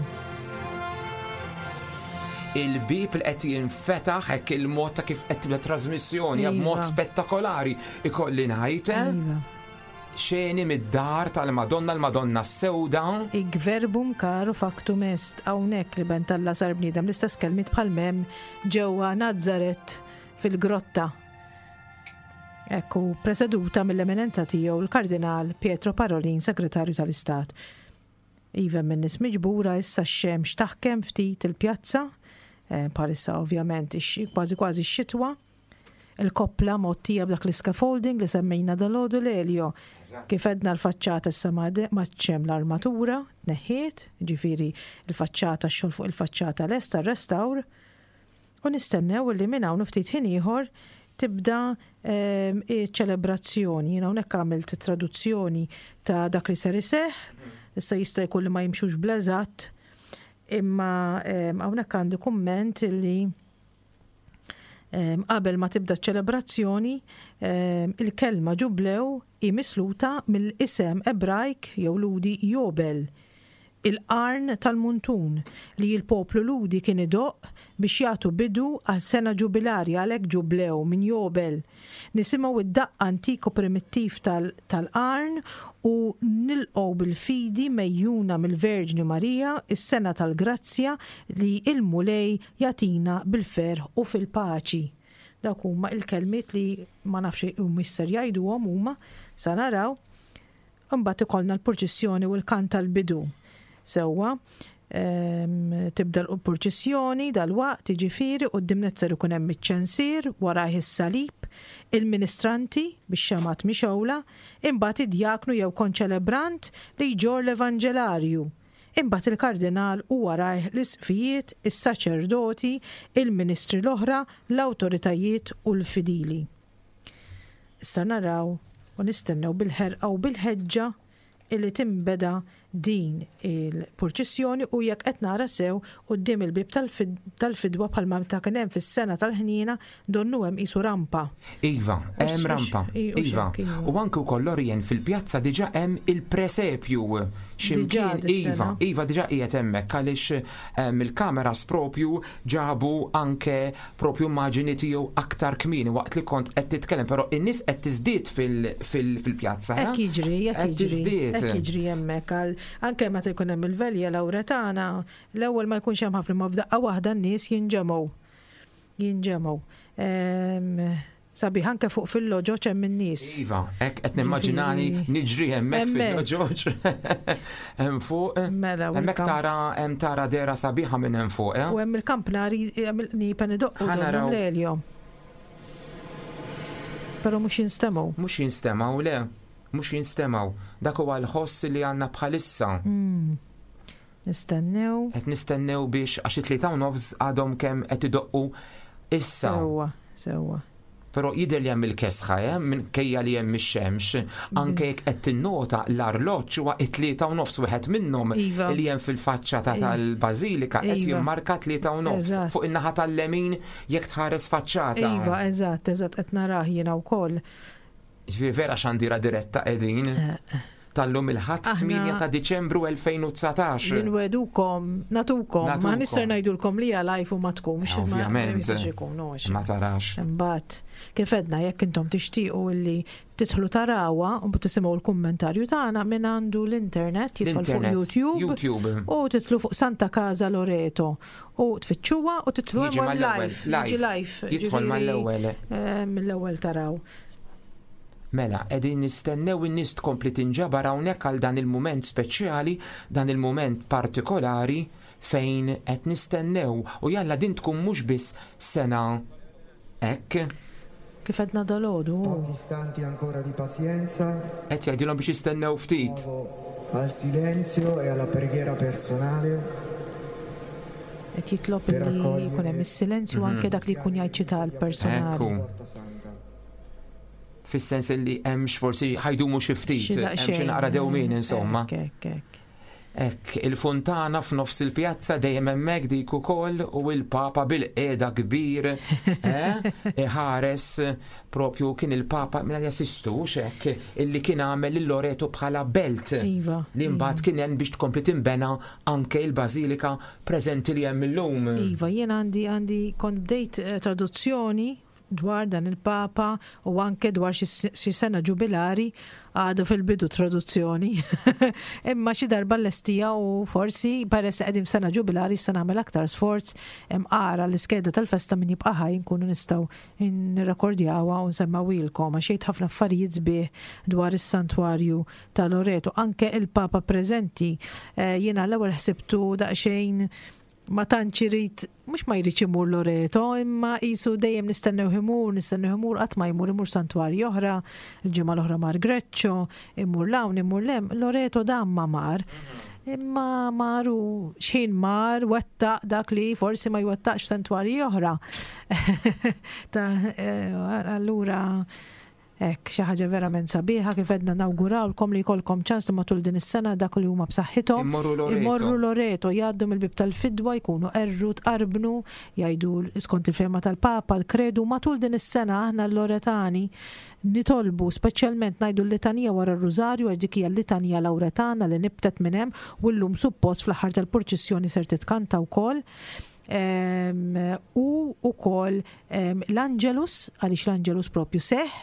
Il-bib li qed jinfetaħ hekk il-mod ta' kif qed tibda trasmissjoni iva. b'mod spettakolari ikolli ngħid. Eh? Iva. Xeni mid-dar tal-Madonna l-Madonna s-sewda. Ig verbum caro factum est hawnhekk li ben talla sar bniedem l-istess kelmiet bħal mem ġewwa Nazaret fil-grotta. Ekku, preseduta mill-Eminenza Tiegħu l-Kardinal Pietro Parolin, Segretarju tal-Istat. Iva hemm in-nies miġbura issa x-xemx taħkem ftit il-pjazza, eh, bħalissa ovvjament kważi kważi x-xitwa. Il-koppla mgħottija b'dak l-scaffolding li semmejna dalgħodu l-Elio. Kif għedna l-faċċata issa m'għadx hemm l-armatura, tneħħiet, ġifieri l-faċċata x-xogħol fuq il-faċċata lest tar-restawr. U nistennew li minn hawn u ftit ħin ieħor tibda ehm, iċ-ċelebrazzjoni. Jien hawnhekk għamilt traduzzjoni ta' dak li ser iseħħ, issa jista' jkun li ma jimxux bl-eżatt, imma ehm, hawnhekk għandi kumment li ehm, qabel ma tibda ċ-ċelebrazzjoni il-kelma ġublew hi misluta mill-isem Ebrajk jew Lhudi Jobel il-qarn tal-muntun li l-poplu Lhudi kien idoqq biex jagħtu bidu għal sena ġubilarja għalhekk ġublew minn Jobel. Nisimgħu d-daqq antik u primittiv tal-qarn u nilqgħu bil-fidi megħjuna mill-Verġni Marija s-sena tal-grazzja li l-Mulej jagħtina bil-ferħ u fil-paċi. Dawk huma l-kelmiet li ma nafx humiex ser jgħiduhom huma, sa naraw. Imbagħad ikollna l-purċissjoni u l-kant tal-bidu. Sewwa, ehm, tibda l-purċissjoni dalwaqt, jiġifieri quddiem nett ser ikun hemm iċ-ċensier, warajh is-salib, il-ministranti bix-xemgħat mixgħula, imbagħad id-djaknu jew konċelebrant li jġorr l-evanġelarju, imbagħad il-kardinal u warajh l-isqfijiet, is-saċerdoti, il-ministri l-oħra, l-awtoritajiet u l-fidili. Issa naraw u nistennew bil-ħerqa u bil-ħeġġa illi tinbeda din il-purċissjoni u jekk qed nara sew quddiem il-bieb tal-fidwa bħalma meta kien hemm fis-sena tal-ħniena donnu hemm qisu rampa. Iva, hemm rampa. Iva. U anke wkoll Lorien fil-pjazza diġà hemm il-presepju. X'imkien iva, iva diġà qiegħed hemmhekk għaliex il-kameras propju ġabu anke propju immaġini tiegħu aktar kmieni waqt li kont qed titkellem, però in-nies qed tiżdied fil-pjazza. Hekk jiġri, hekk jiġri. Hekk jiġri hemmhekk għal. anke meta jkun hemm il-velja Lawretana, l-ewwel ma jkunx hemm ħafna ma f'daqqa waħda n-nies jinġemgħu. Jinġemgħu. Ehm, sabiħ anke fuq fil-loġoġ hemm in-nies. Iva, hekk qed nimmaġinani niġri hemmhekk fil-loġoġ. Hemm fuq. Mela, hemmhekk tara hemm tara dera sabiħa minn hemm fuq, eh? U hemm il-kampnari hemm il-qniepen idoqqu l-elio. Però mhux jinstemgħu. Mhux jinstemgħu le, mhux jinstemgħu. Dak huwa l-ħoss li għandna bħalissa. Hmm. Nistennew. Qed nistennew biex għax it-tlieta u nofs għadhom kemm qed idoqqu issa. Sewwa, sewwa. Però jidher li hemm il-kesħa, eh, minkejja li hemm ix-xemx, anke jekk qed tinnota l-arloġġ huwa it-3 u nofs wieħed minnhom iva. li hemm fil-faċċata iva. tal-bażilika qed iva. jimmarka 3:30 fuq in-naħa tal-lemin jekk tħares faċċata. Iva, eżatt, eżatt qed narah jiena wkoll. Ġifieri vera xandira diretta qegħdin. Eh, eh. Tal-lum il-Ħadd 8 ta' Diċembru 2019. Nwedukom, natukom, ma nistgħu ngħidulkom li hija live u ma tkunx. Ovvjament. Ma tarax. Imbagħad, kif għedna jekk intom tixtiequ illi tidħlu tarawha u tisimgħu l-kummentarju tagħna minn għandu l-internet jidħol fuq YouTube, YouTube u tidħlu fuq Santa Casa Loreto u tfittxuha u tidħlu hemm live. Jiġi live. Jidħol mal-ewwel. Eh, mill-ewwel taraw. Mela, qegħdin nistennew in-nies tkompli tinġabar hawnhekk għal dan il-mument speċjali, dan il-mument partikolari fejn qed nistennew u jalla din tkun mhux biss sena hekk. Kif għedna dalgħodu. Pochi istanti ancora di pazienza. Qed jgħidilhom biex jistennew ftit. Al silenzio e alla preghiera personale. Qed jitlob li jkun hemm is-silenzju anke dak li jkun jgħid xi talb personali. Fis-sens li hemmx forsi ħa jdumu xi ftit, hemm xi naqra dewmien insomma. Hekk, il-funtana f'nofs il-pjazza dejjem hemmhekk dik ukoll u il-Papa bil-qiegħda kbir eh, iħares propju kien il-Papa minn jassistu hekk illi kien għamel il-Loreto bħala belt iva, li mbagħad kien hemm biex tkompli tinbena anke il-Bażilika preżenti li hemm illum. Iva, jien għandi għandi kont bdejt eh, traduzzjoni dwar dan il-Papa u anke dwar xi sena ġubilari għadu fil-bidu traduzzjoni. Imma xi darba l-estija u forsi peress li qegħdin f'sena ġubilari se nagħmel aktar sforz għara l-iskeda tal-festa min jibqa' ħaj nkunu nistgħu nirrekordjawha u nsemmawilkom għax jgħid ħafna affarijiet sbieħ dwar is-santwarju ta' Loreto. Anke il-Papa preżenti eh, jiena l-ewwel ħsibtu daqsxejn ma tantx irid mhux ma jridx imur Loreto, imma qisu dejjem nistennew imur, nistennew imur qatt ma jmur imur santwarji oħra, il-ġimgħa l-oħra mar Greċċo, imur l-hawn, imur lem, Loreto dan ma mar. Imma maru xħin mar wettaq dak li forsi ma jwettaqx santwarji oħra. Eh, allura Hekk, xi ħaġa verament sabiħa kif għedna nawgurawlkom li jkollkom ċans li matul din is-sena dak li huma b'saħħithom Immorru Loreto. imorru Loreto, jgħaddu mill-bieb tal-fidwa, jkunu qerru, tqarbnu, jgħidu skont il-fehma tal-Papa l-kredu. Matul din is-sena aħna l-Loretani nitolbu speċjalment ngħidu l-litanija wara r-Rużarju għax dik hija l-litanija Lawretana li nibtet minn hemm u llum suppost fl-aħħar tal-purċissjoni ser titkanta wkoll. U wkoll l-Angelus, għaliex l-Angelus propju seħ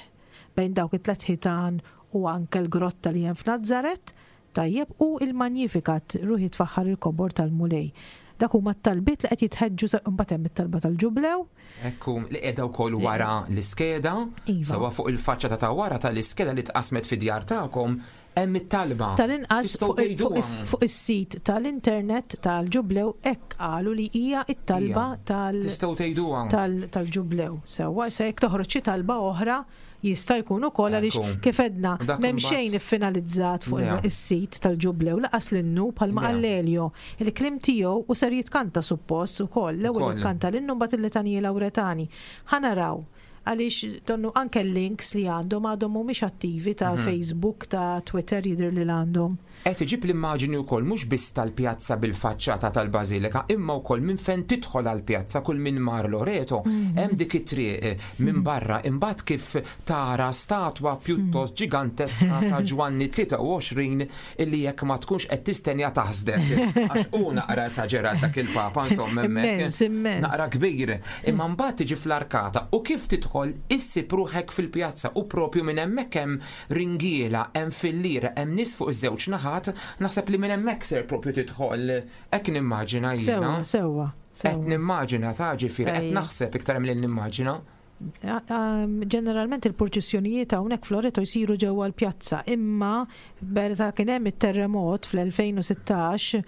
bejn dawk it-tlet ħitan u anke l-grotta li hemm f'Nazzaret, tajjeb, u il-Magnificat, ruħi tfaħħar il-kobor tal-Mulej. Dak huma t-talbiet li qed jitħeġġu mbagħad hemm it-talba tal-ġublew. Ekku, li qiegħda wkoll wara l-iskeda, iva. Sewwa fuq il-faċċata ta' wara tal-iskeda li tqasmet fid-djar tagħkom hemm it-talba. Tal-inqas Tistgħu tgħiduha. fuq is-sit tal-internet tal-ġublew hekk qalu li hija t-talba tal- Tistgħu tgħiduha. tal-ġublew. Sewwa, se jekk toħroġ xi talba oħra jista' jkun ukoll għaliex Ekku. kif għedna U dak m'hemm imbagħad- xejn iffinalizzat fuq Le. is-sit tal-ġublew laqas l-innu bħalma Le. qal Elio. Il-kliem tiegħu u ser jitkanta suppost ukoll. L-ewwel Ukoll. jitkanta l-innu mbagħad il-litaniji Lawretani. Ħa naraw għaliex donnu anke l-links li għandhom għadhom mhumiex attivi ta' Facebook, ta' Twitter jidher li għandhom. Qed iġib l-immaġini wkoll mhux biss tal-pjazza bil-faċċata tal-Bażilika, imma wkoll minn fejn tidħol għall-pjazza kull min mar Loreto, hemm dik it-triq minn barra imbagħad kif tara statwa pjuttost ġiganteska ta' Ġwanni 23 illi jekk ma tkunx qed tistenja taħsdek. Għax hu naqra esaġerat dak il-Papa insomma hemmhekk. Immens, immens. Naqra kbir. Imma mbagħad tiġi fl-arkata u kif tidħol tidħol issib ruħek fil-pjazza u propju minn hemmhekk hemm ringiela, hemm filliera, hemm nies fuq iż-żewġ naħat, naħseb li minn hemmhekk ser propju tidħol, hekk nimmaġina jiena. Sewwa, sewwa. Qed nimmaġina ta' ġifieri, qed naħseb iktar milli nimmaġina. Ġeneralment il-purċissjonijiet hawnhekk f'Loreto jsiru ġewwa l-pjazza, imma meta kien hemm it-terremot fl-2016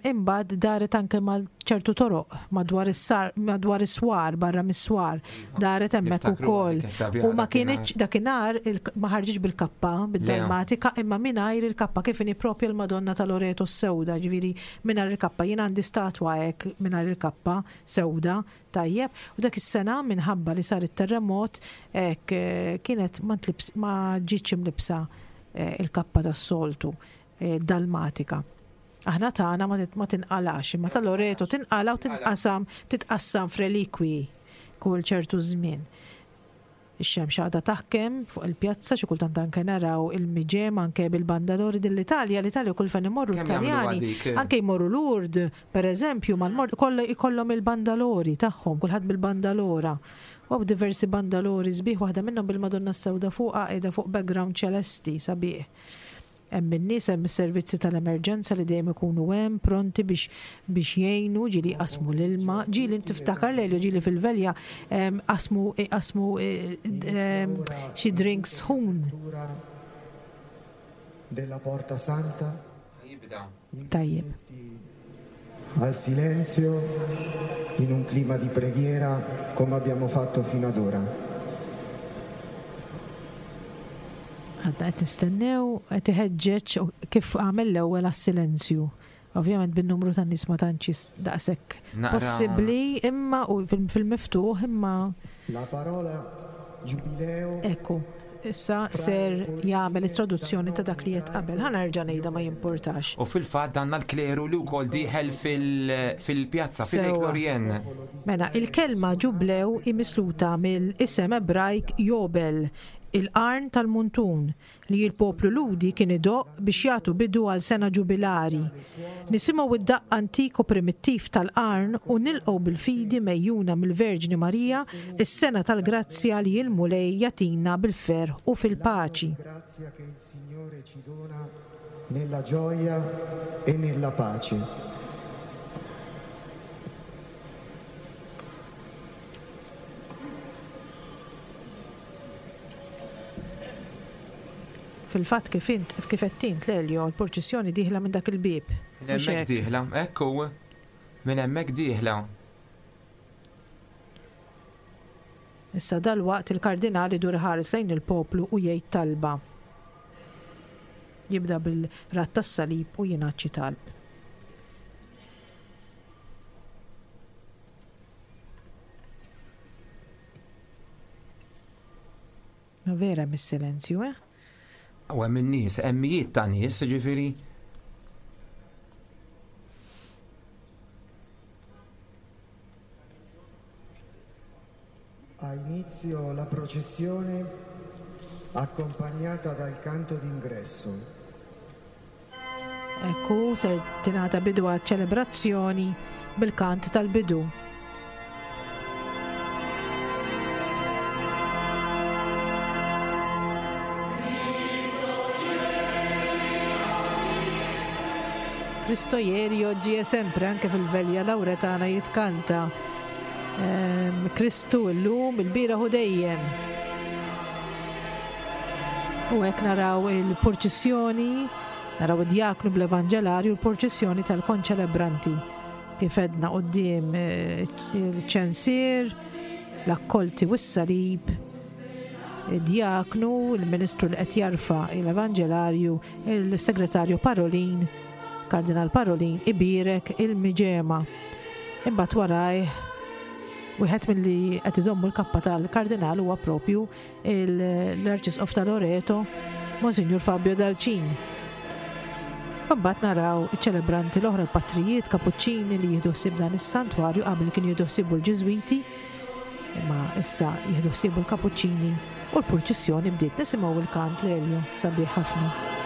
imbagħad daret anke mal ċertu toroq madwar is-sar madwar is-swar barra mis-swar daret hemmhekk ukoll. U ma kinitx dakinhar ma ħarġitx bil-kappa bid-dalmatika imma mingħajr il-kappa kif inhi propja l-Madonna ta' Loreto s-sewda, ġifieri mingħajr il-kappa. Jien għandi statwa hekk mingħajr il-kappa sewda. Tajjeb, u dak is-sena minħabba li sar it-terremot hekk kienet ma tlibs ma ġietx imlibbsa il-kappa tas-soltu, dalmatika. Aħna tagħna ma tinqalax, imma ta' Loreto tinqala' u tinqasam titqassam f'relikwiji kull ċertu żmien. Ix-xemx għadha taħkem fuq il-pjazza, xi kultant anke naraw il-miġem anke bil-bandalori din l-Italja, l-Italja kull fejn imorru l-Taljani, anke jmorru Lourdes, per eżempju, mal-mort ikollhom il-bandalori tagħhom, kulħadd bil-bandalora. U hawn diversi bandalori sbieħ, waħda minnhom bil-Madonna s-Sewda fuqha qiegħda fuq background ċelesti sabiħ. Hemm in-nies, hemm is-servizzi tal-emerġenza li dejjem ikunu hemm pronti biex biex jgħinu, ġieli jqassmu l-ilma, ġieli tiftakar Lelio ġieli fil-velja qasmu qasmu xi drinks sħun. Della Porta Santa. Tajjeb. Al silenzio in un clima di preghiera come abbiamo fatto fino ad ora. Għadna qed nistennew, qed iħeġġeġ kif għamel l-ewwel għas-silenzju. Ovvjament bin-numru ta' nies ma tantx daqshekk possibbli imma u fil-miftuħ imma. La parola Giubileo. Ekku. Issa ser jagħmel it-traduzzjoni ta' dak li għedt qabel. Ħa nerġa' ngħidha ma jimpurtax. U fil-fatt għandna l-kleru li wkoll dieħel fil-pjazza, f'idejk Lorien. Mela, il-kelma ġublew hi misluta mill-isem Ebrajk Jobel, il-qarn tal-muntun, li l-poplu Lhudi kien idoqq biex jagħtu bidu għal sena ġubilari. Nisimgħu d-daqq antik u primittiv tal-qarn u nilqgħu bil-fidi megħjuna mill-Verġni Marija s-sena tal-grazzja li l-Mulej jagħtina bil-ferħ u fil-paċi. Grazia che il Signore ci dona nella gioia e nella pace. Fil-fatt kif int, kif għedt int, Lelio, l-purċissjoni dieħla minn dak il-bieb. Minn hemmhekk dieħla, hekk hu. Minn hemmhekk dieħla. Issa dalwaqt il-Kardinal idur iħares lejn il-poplu u jgħid talba. Jibda bil-radd tas-salib u jingħad xi talb. Ma vera hemm is-silenzju, eh? U hemm in-nies, hemm mijiet ta' nies, ġifieri. Ha inizio la processione accompagnata dal canto d'ingresso. Hekk hu, ser tingħata bidu għaċ-ċelebrazzjoni bil-kant tal-bidu. Cristo ieri, oggi e sempre, anke fil-velja Lauretana jitkanta. Ehm, Kristu illum, il-bieraħ u dejjem. U hekk naraw il-purċissjoni, naraw id-djaknu bl-evanġelarju l-purċissjoni tal-konċelebranti. Kif edna quddiem eh, il-ċensier, l-akkolti u s-salib, id-djaknu, il-ministru li qed jarfa l-evanġelarju, il-segretarju Parolin, Kardinal Parolin ibierek il-miġema. Imbagħad warajh wieħed milli qed iżommu l-kappa tal-kardinal huwa propju l-Arċisqof ta' Loreto, Monsinjur Fabio Dalcin. Imbagħad naraw iċ-ċelebranti l-oħra l-patrijiet kapuċċini li jieħdu ħsieb dan is-santwarju qabel kienu jieħdu ħsiebu l-Ġiżwiti, imma issa jieħdu ħsiebu l-kapuċċini u l-purċissjoni bdiet nisimgħu il-kant Lelio sabiħ ħafna.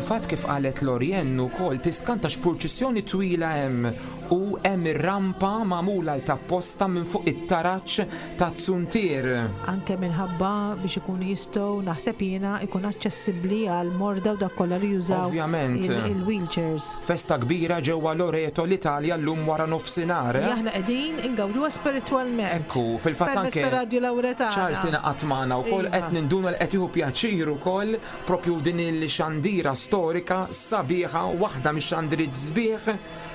Fil-fatt kif qalet Lorianne ukoll tiskanta x'purċissjoni twila hemm u hemm ir-rampa magħmula l t'apposta minn fuq it-taraġ taz-zuntier. Anke minħabba biex ikunu jistgħu naħseb jiena ikun aċċessibbli għal morda u dak kollha li jużaw Ovvjament. il-wheelchairs. Festa kbira ġewwa Loreto l-Italja llum wara nofsinhar. Li aħna qegħdin ingawduha spiritwalment. Ekku, fil-fatt anke. Permezz ta' Radju Lawretana. Charles ingħaqad magħna wkoll Iva. qed ninduna li qed jieħu pjaċir ukoll propju din il-xandira storika sabiħa, waħda mix-xandiriet sbieħ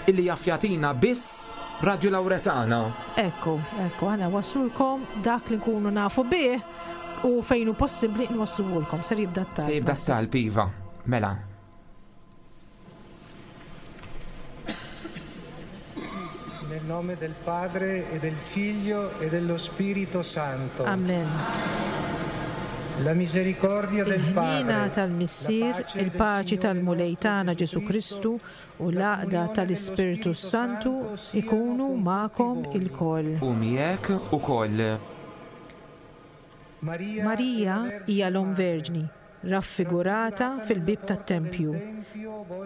illi jaf jagħtina biss Radju Lawretana. Ekku, ekku, aħna waslulkom dak li nkunu nafu bih u fejn hu possibbli nwassluhulkom. Ser jibda t-talb. Se jibda t-talb, iva. Mela. Nel nome del Padre e del Figlio e dello Spirito Santo. Amen. La misericordia del Il-ħniena Padre, tal-Missier, il-paċi tal-Mulej tagħna Ġesù Kristu u l-għaqda tal-Ispirtu s-Santu ikunu magħkom ilkoll. U miegħek ukoll. Marija hija l-Omm Verġni, raffigurata fil-bieb tat-tempju,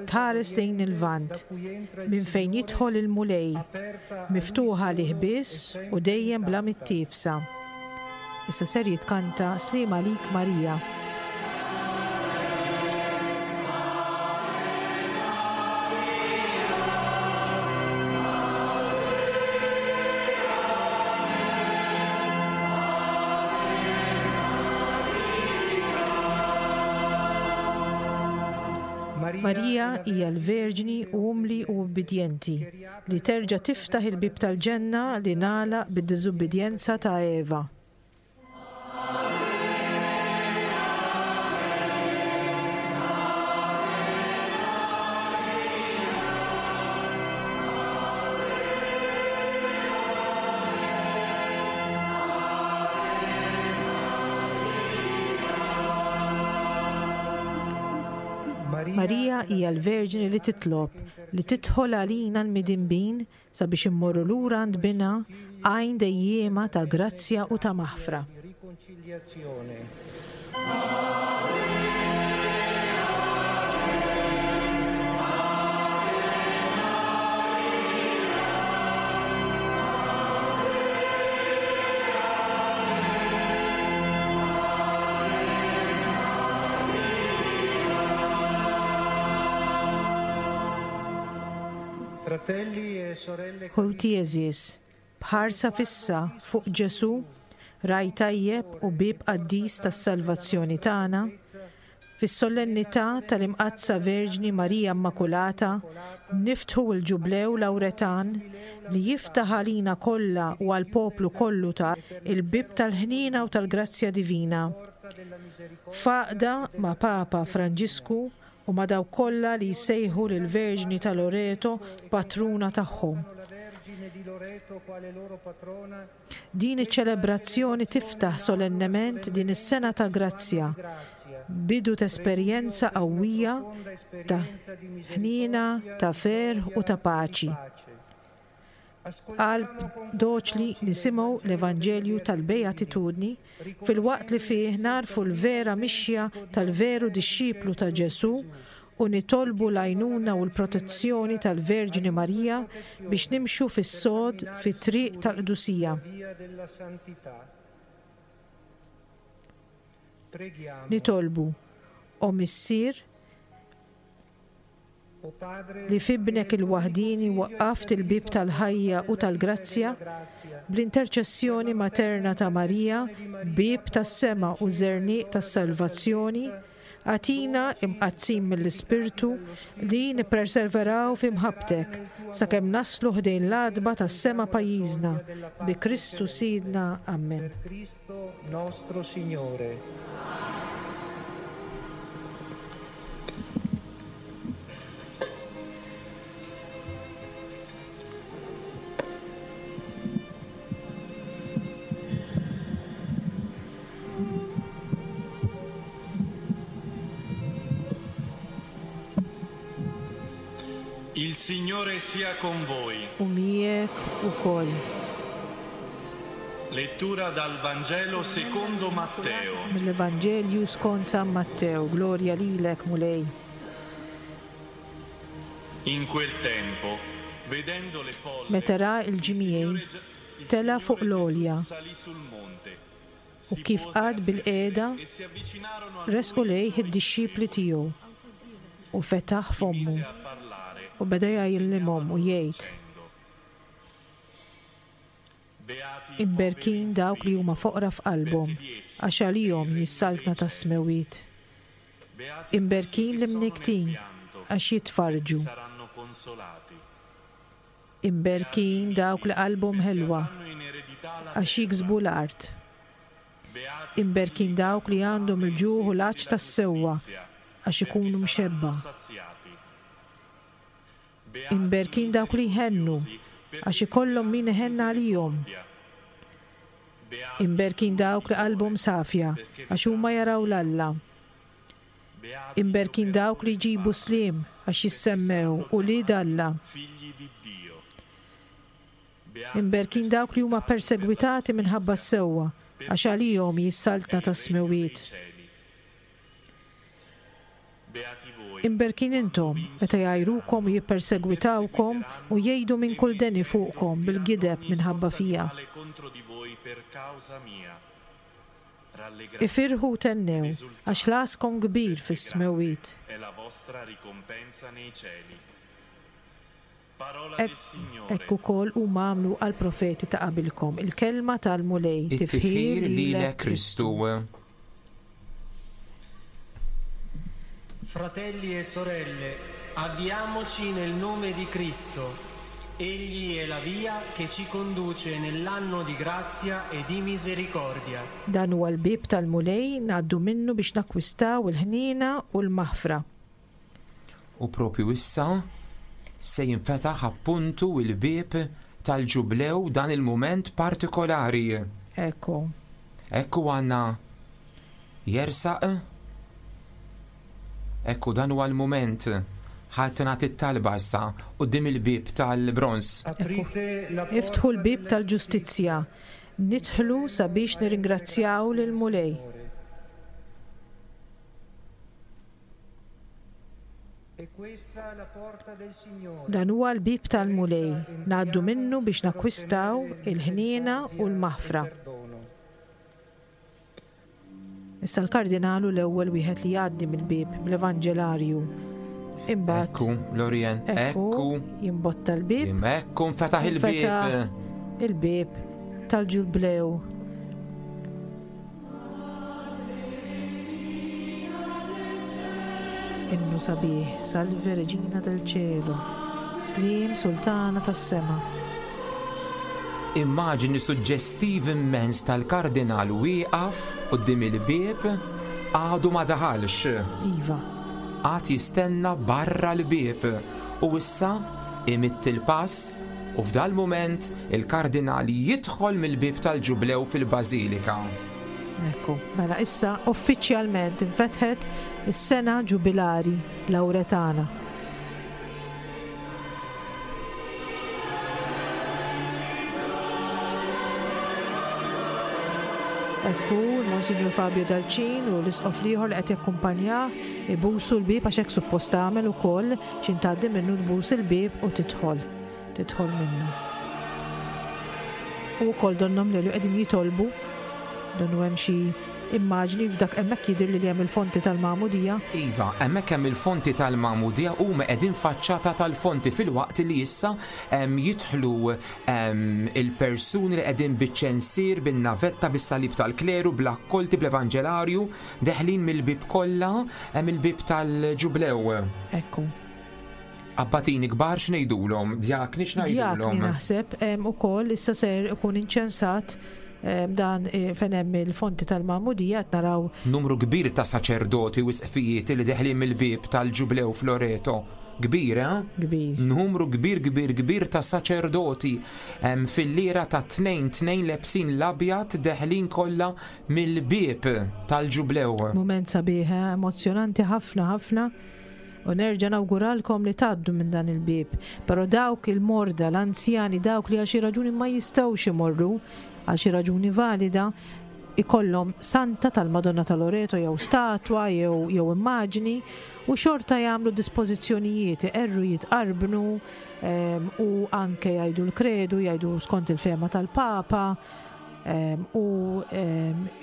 tħares lejn il-Lvant, minn fejn jidħol il-Mulej, miftuħa għalih biss u dejjem bla mittiefsa. Issa ser jitkanta Sliem għalik Marija. Marija hija l-Verġni umli u ubbidjenti li terġa' tiftaħ il-bieb tal-ġenna li ngħalaq bid-diżubbidjenza ta' Eva. Marija hija l-Verġni li titlob li tidħol għalina l-midinbin sabiex immorru lura għand Binha, għajn dejjiema ta' grazzja u ta' maħfra. Fratelli e sorelle Ħuti għeżież, b'ħarsa fissa fuq Ġesù, Ragħaj tajjeb u bieb qaddis tas-salvazzjoni tagħna, fis-solennità tal-Imqaddsa Verġni Marija Immakulata, niftħu l-Ġublew Lawretan li jiftaħ għalina kollha u għall-poplu kollu ta' il-bieb tal-ħniena u tal-grazzja divina. F'għaqda ma' Papa Franġisku u ma' dawk kollha li jsejħu lill-Verġni ta' Loreto patruna tagħhom. Din iċ-ċelebrazzjoni tiftaħ solennement din is-sena ta' grazzja, bidu t'esperjenza qawwija ta' ħniena, ta' ferħ u ta' paċi. B'qalb doċli nisimgħu l-Evanġelju tal-Beatitudni filwaqt li fih nagħrfu l-vera mixja tal-veru dixxiplu ta' Ġesù u nitolbu l-għajnuna u l-protezzjoni tal-Verġni Marija biex nimxu fis-sod fit-triq tal-qdusija. Nitolbu, O Missier, li f'Ibnek il-waħdieni waqqaft il-bieb tal-ħajja u tal-grazzja, bl-interċessjoni materna ta' Marija, bieb tas-sema u żerniq tas-salvazzjoni, agħtina, imqaddsin mill-Ispirtu, li nipperseveraw fi mħabbtek, sakemm naslu ħdejn l-għatba tas-sema pajjiżna, bi Kristu Sidna. Ammen. Il Signore sia con voi. U miegħek ukoll. Lettura dal Vangelo secondo Matteo. Mill-Evanġelju skont San Mattew, Glorja lilek, Mulej. In quel tempo, vedendo le folle, Meta ra l-ġimgħi, tela' fuq l-għolja. U kif qagħad bilqiegħda, resqu lejh id-dixxipli tiegħu, u fetaħ fommu, u beda jgħallimhom u jgħid, Imberkin dawk li huma foqra f'qalbhom, għax għalihom hi s-saltna tas-smewwiet. Imberkin l-imnikktin, għax jitfarrġu. Imberkin dawk li qalbhom ħelwa, għax jiksbu l-art. Imberkin dawk li għandhom il-ġuħ u l-għatx tas-sewwa, għax ikunu mxebbgħa. Imberkin dawk li jħennu, għax ikollhom min iħenn għalihom. Imberkin dawk li qalbhom safja, għax huma jaraw 'l Alla. Imberkin dawk li jġibu sliem, għax jissemmew ulied Alla. Imberkin dawk li huma persegwitati minħabba s-sewwa, għax għalihom hi s-saltna tas-smewwiet. Imberkin intom, meta jgħajrukom u jippersegwitawkom u jgħidu minn kull deni fuqkom bil-gideb minħabba fija. Ifirħu u thennew, għax ħlaskom kbir fis-smewwiet. Hekk ukoll huma għamlu għall-profeti ta' qabilkom. Il-Kelma tal-Mulej. It-tifħir lilek, Kristu. Fratelli e sorelle, avviamoci nel nome di Cristo. Egli è la via che ci conduce nell'anno di grazia e di misericordia. Dan huwa l-bieb tal-Mulej, ngħaddu minnu biex nakkwistaw il-ħniena u l-maħfra. U propju issa se jinfetaħ appuntu il-bieb tal-ġublew dan il-mument partikolari. Ekku. Ekku għandna jersaq. Ekku dan huwa l-mument. Ħadd nagħti t-talba issa quddiem il-bieb tal-bronż. Iftħu l-bieb tal-ġustizzja. Nidħlu sabiex nirringrazzjaw lill-Mulej. Dan huwa l-bieb tal-Mulej, ngħaddu minnu biex nakkwistaw il-ħniena u l-maħfra. Issa l-Kardinal hu l-ewwel wieħed li jgħaddi mill-bieb bl-Evanġelarju. Imbagħad Ekku, Lorien, ekku. Jimbotta l-bieb. Ekku, nfetaħ il-bieb. Il-bieb tal-ġublew. Innu sabiħ, Salve Regina del Cielo, Sliem Sultana tas-Sema. Immaġini suġġestiv immens tal-Kardinal wieqaf quddiem il-bieb għadu ma daħalx. Iva. Għad jistenna barra l-bieb u issa imidd il-pass U f'dal-mument il-Kardinal jidħol mill-bieb tal-Ġublew fil-Bażilika. Ekku, mela issa uffiċjalment infetħet is-sena ġubilari Lawretana. Ekku, l-Monsinjur Fabio Dalcin u l-Isqof l-ieħor li qed jakkumpanjah ibusu l-bieb għax hekk suppost tagħmel ukoll X'in tgħaddi minnu tbus il-bieb u tidħol. Tidħol minnu. U wkoll donnhom lelu qegħdin jitolbu. Donnu hemm xi immaġni f'dak hemmhekk jidhirli li hemm il-fonti tal-magħmudija. Iva, hemmhekk hemm il-fonti tal-magħmudija huma qegħdin faċċata tal-fonti filwaqt li issa jidħlu il-persuni li qegħdin biċ-ċensier, bin-navetta, bis-salib tal-kleru, bl-akkolti, bl-evanġelarju. Deħlin mill-bieb kollha, hemm il-bieb tal-Ġublew. Ekku. Abbatini kbar x'ngħidulhom, djakni x'ngħidulhom? Djakni naħseb ukoll issa ser ikun inċensat dan eh, fejn hemm il-fonti tal-Magħmudija qed naraw. Numru kbir ta' saċerdoti u isqfijiet li deħlin mill-bieb tal-Ġublew f'Loreto. Kbir, eh? Kbir. Numru kbir, kbir, kbir ta' saċerdoti fil-lira ta' tnejn tnejn lebsin l-abjad deħlin kollha Mill-bieb tal-Ġublew. Mument sabiħ, eh? Emozzjonanti ħafna ħafna. U nerġa' nawguralkom li tgħaddu minn dan il-bieb. Però dawk il-morda, l-anzjani, dawk li għal xi raġuni ma jistgħux imorru, għal xi raġuni valida, ikollhom santa tal-Madonna ta' Loreto jew statwa jew jew immaġni u xorta jagħmlu dispożizzjonijiet, iqerru jitqarbnu u anke jgħidu l-kredu, jgħidu skont il-fehma tal-Papa u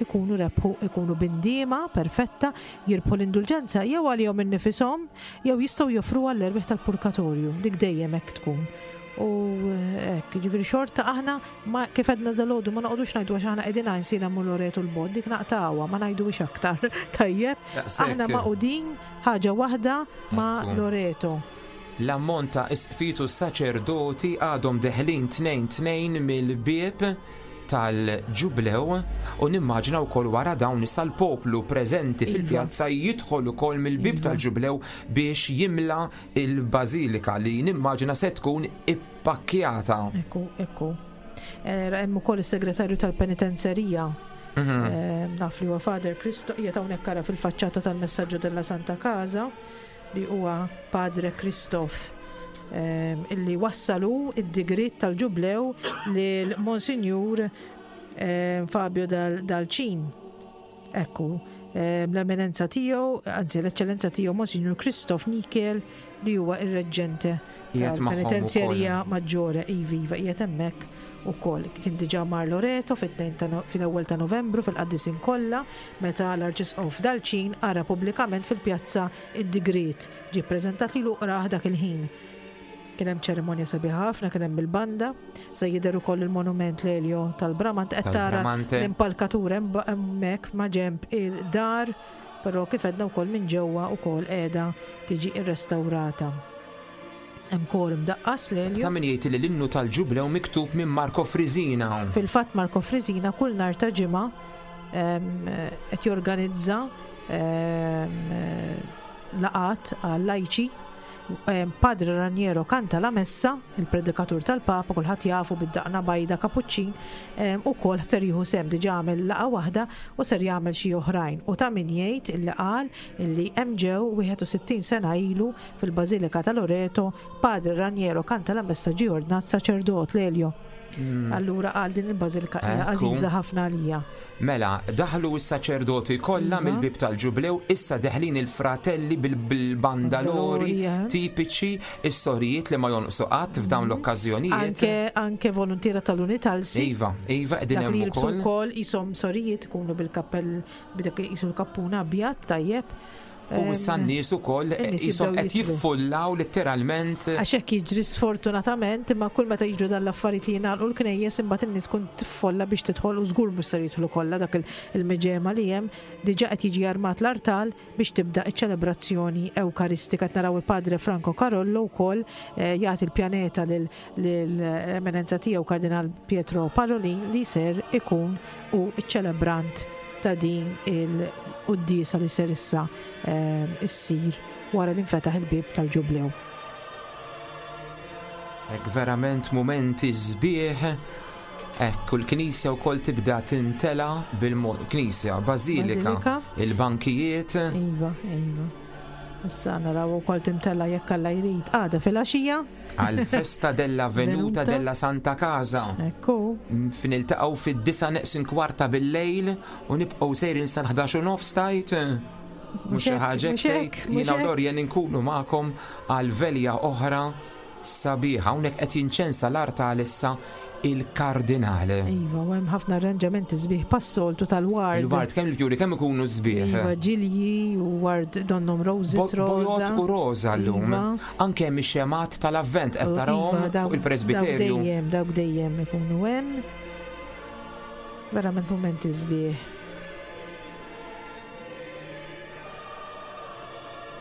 ikunu rebħu, ikunu b'indiema perfetta, jirbħu l-indulġenza jew għalihom innifishom jew jistgħu joffruha għall-erwieħ tal-purkatorju, dik dejjem hekk tkun. U hekk, jiġifieri xorta aħna ma kif għedna dalgħodu ma noqogħdux ngħidu għax aħna qegħdin Għajnsielem u Loreto 'l bogħod, dik naqtgħuha, ma ngħiduhiex aktar. Tajjeb? Aħna magħqudin ħaġa waħda ma' Loreto. L-ammont ta' isqfijiet u saċerdoti għadhom deħlin tnejn tnejn mill-bieb tal-Ġublew u nimmaġina wkoll wara dawn issa l-poplu preżenti iva. fil-pjazza jidħol ukoll mill-bieb iva. tal-Ġublew biex jimla il-bażilika li nimmaġina se tkun ippakkjata. Ekku, ekku. Eh, hemm ukoll is-segretarju tal-penitenzerija. Mhm. Eh, naf li huwa Father Cristo, qiegħed hawnhekk ara fil-faċċata tal-messaġġu della Santa Casa li huwa Padre Kristof ehm, illi wassalu id-digrit tal-ġublew lil Monsinjur ehm, Fabio Dalcin. Ekku, ehm, l-eminenza tiegħu, anzi l-eċċellenza tiegħu Monsinjur Kristof Nikel li huwa ir-reġġente tal-Penitenzjerija Maġġore, iva, iva, qiegħed hemmhekk ukoll. Kien diġà mar Loreto fil-ewwel ta' Novembru fil-qaddisin kollha meta l-Arċisqof Dalcin qara pubblikament fil-pjazza id-digriet ġie ppreżentat lilu u qrah dak il-ħin. Kien hemm ċerimonja sabiħa ħafna, kien hemm il-banda, se jidher ukoll il-monument Lelio tal-Bramante, qed tara l-impalkatura hemmhekk ma' ġenb il-dar, però kif għedna wkoll minn ġewwa wkoll qiegħda tiġi rrestawrata. Hemm kor imdaqqas, Lelio. Ta' min jgħid li l-innu tal-Ġublew miktub minn Marco Frisina. Fil-fatt Marco Frisina kull nhar ta' Ġimgħa qed jorganizza laqgħat għal-lajċi. Padre Raniero kanta la messa, il-predikatur tal-Papa, kulħadd jafu bid-daqna bajda kapuċċin, ukoll ser jieħu sehem diġà għamel laqgħa waħda u ser jagħmel xi oħrajn. U ta' min jgħid illi qal illi hemm ġew 61 sena ilu fil-Bażilika ta' Loreto, Padre Raniero kanta la messa ġie ordnat saċerdot, Lelio. Allura qal din il-bażilika hija għażiża ħafna għalija. Mela, daħlu s-saċerdoti kollha iva. mill-bieb tal-ġublew, issa deħlin il-fratelli bil-bandalori eh. tipiċi, is-sorijiet li ma jonqsu qatt f'dawn mhm. l-okkażjonijiet. Anke, anke volontiera tal-Unitalsi. Iva, iva, qegħdin hemm ukoll. ukoll ishom sorijiet ikunu bil-kappell b'dak isu l-kappuna abjad tajjeb. U issa n-nies ukoll qishom qed jiffullaw litteralment. Għax hekk jiġri sfortunatament, imma kull meta jiġru dan l-affarijiet li jingħalqu l-knejjes imbagħad in-nies tkun tiffolla biex tidħol u żgur mhux ser jidħlu kollha dak il-miġema li hemm. Diġà qed jiġi armat l-artal biex tibda ċ-ċelebrazzjoni Ewkaristika. Qed naraw il-Padre Franco Carollo wkoll jagħti l-pjaneta lill-Eminenza Tiegħu Kardinal Pietro Parolin li ser ikun hu ċ-ċelebrant ta' din il-quddiesa li ser issa ssir wara li nfetaħ il-bieb tal-Ġublew. Hekk verament mumenti sbieħ. Hekk u l-knisja wkoll tibda tintela bil-mod knisja, bażilika, il-bankijiet. Iva, iva. Issa naraw ukoll timtela jekk Alla jrid għada filgħaxija. Għal-festa della Venuta della Santa Casa. Ekku. Niltaqgħu fid-disa neqsin kwarta bil-lejl u nibqgħu sejrin sal-11 u nofs tajt. Mhux xi ħaġa tgħid. Jiena u Lorien inkunu magħkom għal velja oħra sabiħa. Hawnhekk qed jinċensa l-artal issa il-kardinal. Iva, u hemm ħafna arranġamenti sbieħ passoltu tal-ward. Il-ward kemm il-fjuri kemm ikunu sbieħ. Iva, ġilji u ward donnom roses rosa. Bojod u rosa llum. Iva. Anke hemm ix-xemgħat tal-avvent qed tarahom iva, fuq il-presbiterju. Dawk dejjem, dawk dejjem ikunu hemm. Verament mumenti sbieħ.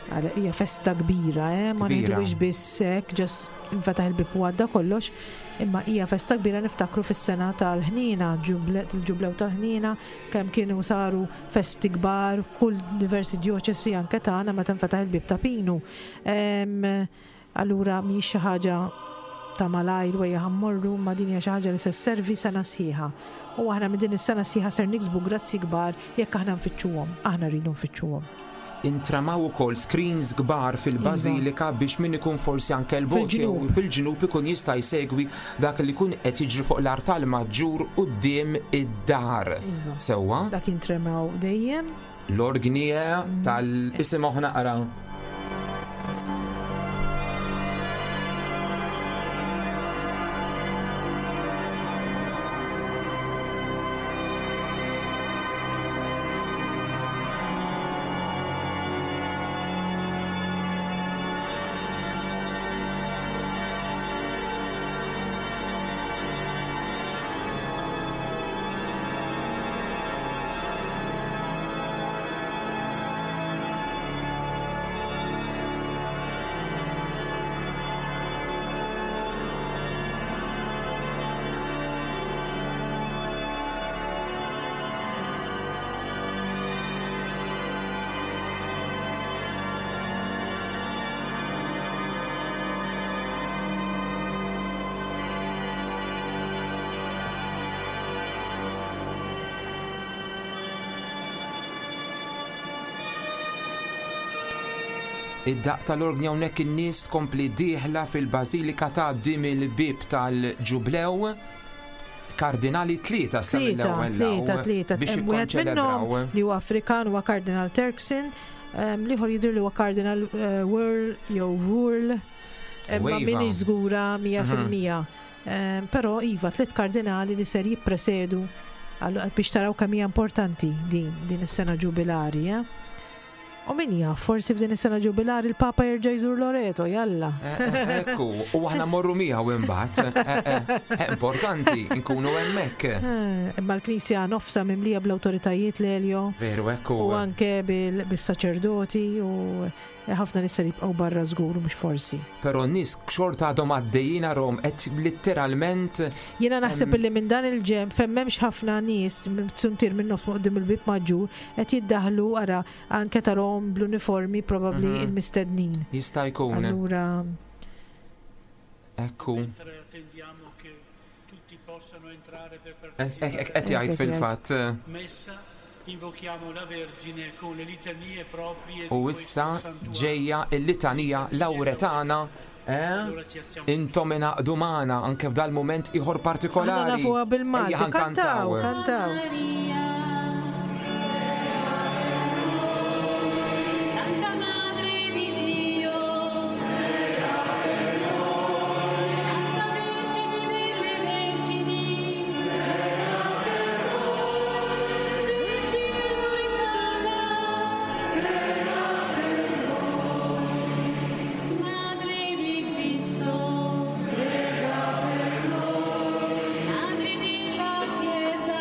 Għala hija festa kbira, eh? ma ngħidux biss hekk, ġas infetaħ il-bib u għadda kollox, imma hija festa kbira niftakru fis-sena tal-ħniena, il-ġublew tal-ħniena, kemm kienu saru festi kbar, kull diversi djoċesi anke tagħna meta nfetaħ il-bib ta' Pinu. Allura mhijiex xi ħaġa ta' malajr u ejja ħa mmorru, imma din hija xi ħaġa li se sservi sena sħiħa. U aħna minn din is-sena sħiħa ser niksbu grazzji kbar jekk aħna nfittxuhom. Aħna rridu nfittxuhom. Intramaw ukoll screens kbar fil-bażilika biex min ikun forsi anke 'l bogħod jew fil-ġnub ikun jista' jsegwi dak li jkun qed jiġri fuq l-artal maġġur quddiem id-dar. Sewwa? Dak jintremaw dejjem. L-orgni tal isimgħu naqra. Id-daqq tal-orgni hawnhekk in-nies tkompli dieħla fil-Bażilika tgħaddi mill-bieb tal-Ġublew. Kardinali tlieta sa mill-ewwel Tlieta, tlieta, biex Hemm wieħed minnhom ikkonċelebraw. li huwa Afrikan huwa Kardinal Turkson, l-ieħor jidher li huwa Kardinal Wuerl jew Wuerl, imma Iva. m'iniex żgura 100%. Però iva, tliet kardinali li ser jippresedu biex taraw kemm hija importanti din din is-sena ġubilari, eh? U min jaf, forsi f'din is-sena ġubilari l-Papa jerġa' jżur Loreto, jalla. Ekku, u aħna morru miegħu imbagħad. Importanti, nkunu hemmhekk. Imma l-Knisja nofsa mimlija bl-awtoritajiet l-Elio. Veru, ekku. U anke bis-saċerdoti u ħafna nies ser jibqgħu barra żgur mhux forsi. Però n-nies xorta għadhom għaddejjin arhom qed litteralment Jiena naħseb illi minn dan il-ġenb fejn m'hemmx ħafna nies, suntier minn nofs quddiem il-bieb maġġur, qed jiddaħħlu ara anke tarahom bl-uniformi probabbli il-mistednin. Jista' jkun. Allura. Ekku. Hekk qed jgħid fil-fatt. Invochiamo la Vergine con le litanie proprie U issa ġejja l-litanija Lawretana, eh? Intom ingħaqdu magħna anke f'dal-mument ieħor partikolari. Aħna nafuha bil-Malti. Ejja ħa nkantaw. Kantaw, kantaw. Santa Madre di Dio, Santa Vergine delle Vergini, Vergine Lauretana, Madre di Cristo, Madre della Chiesa.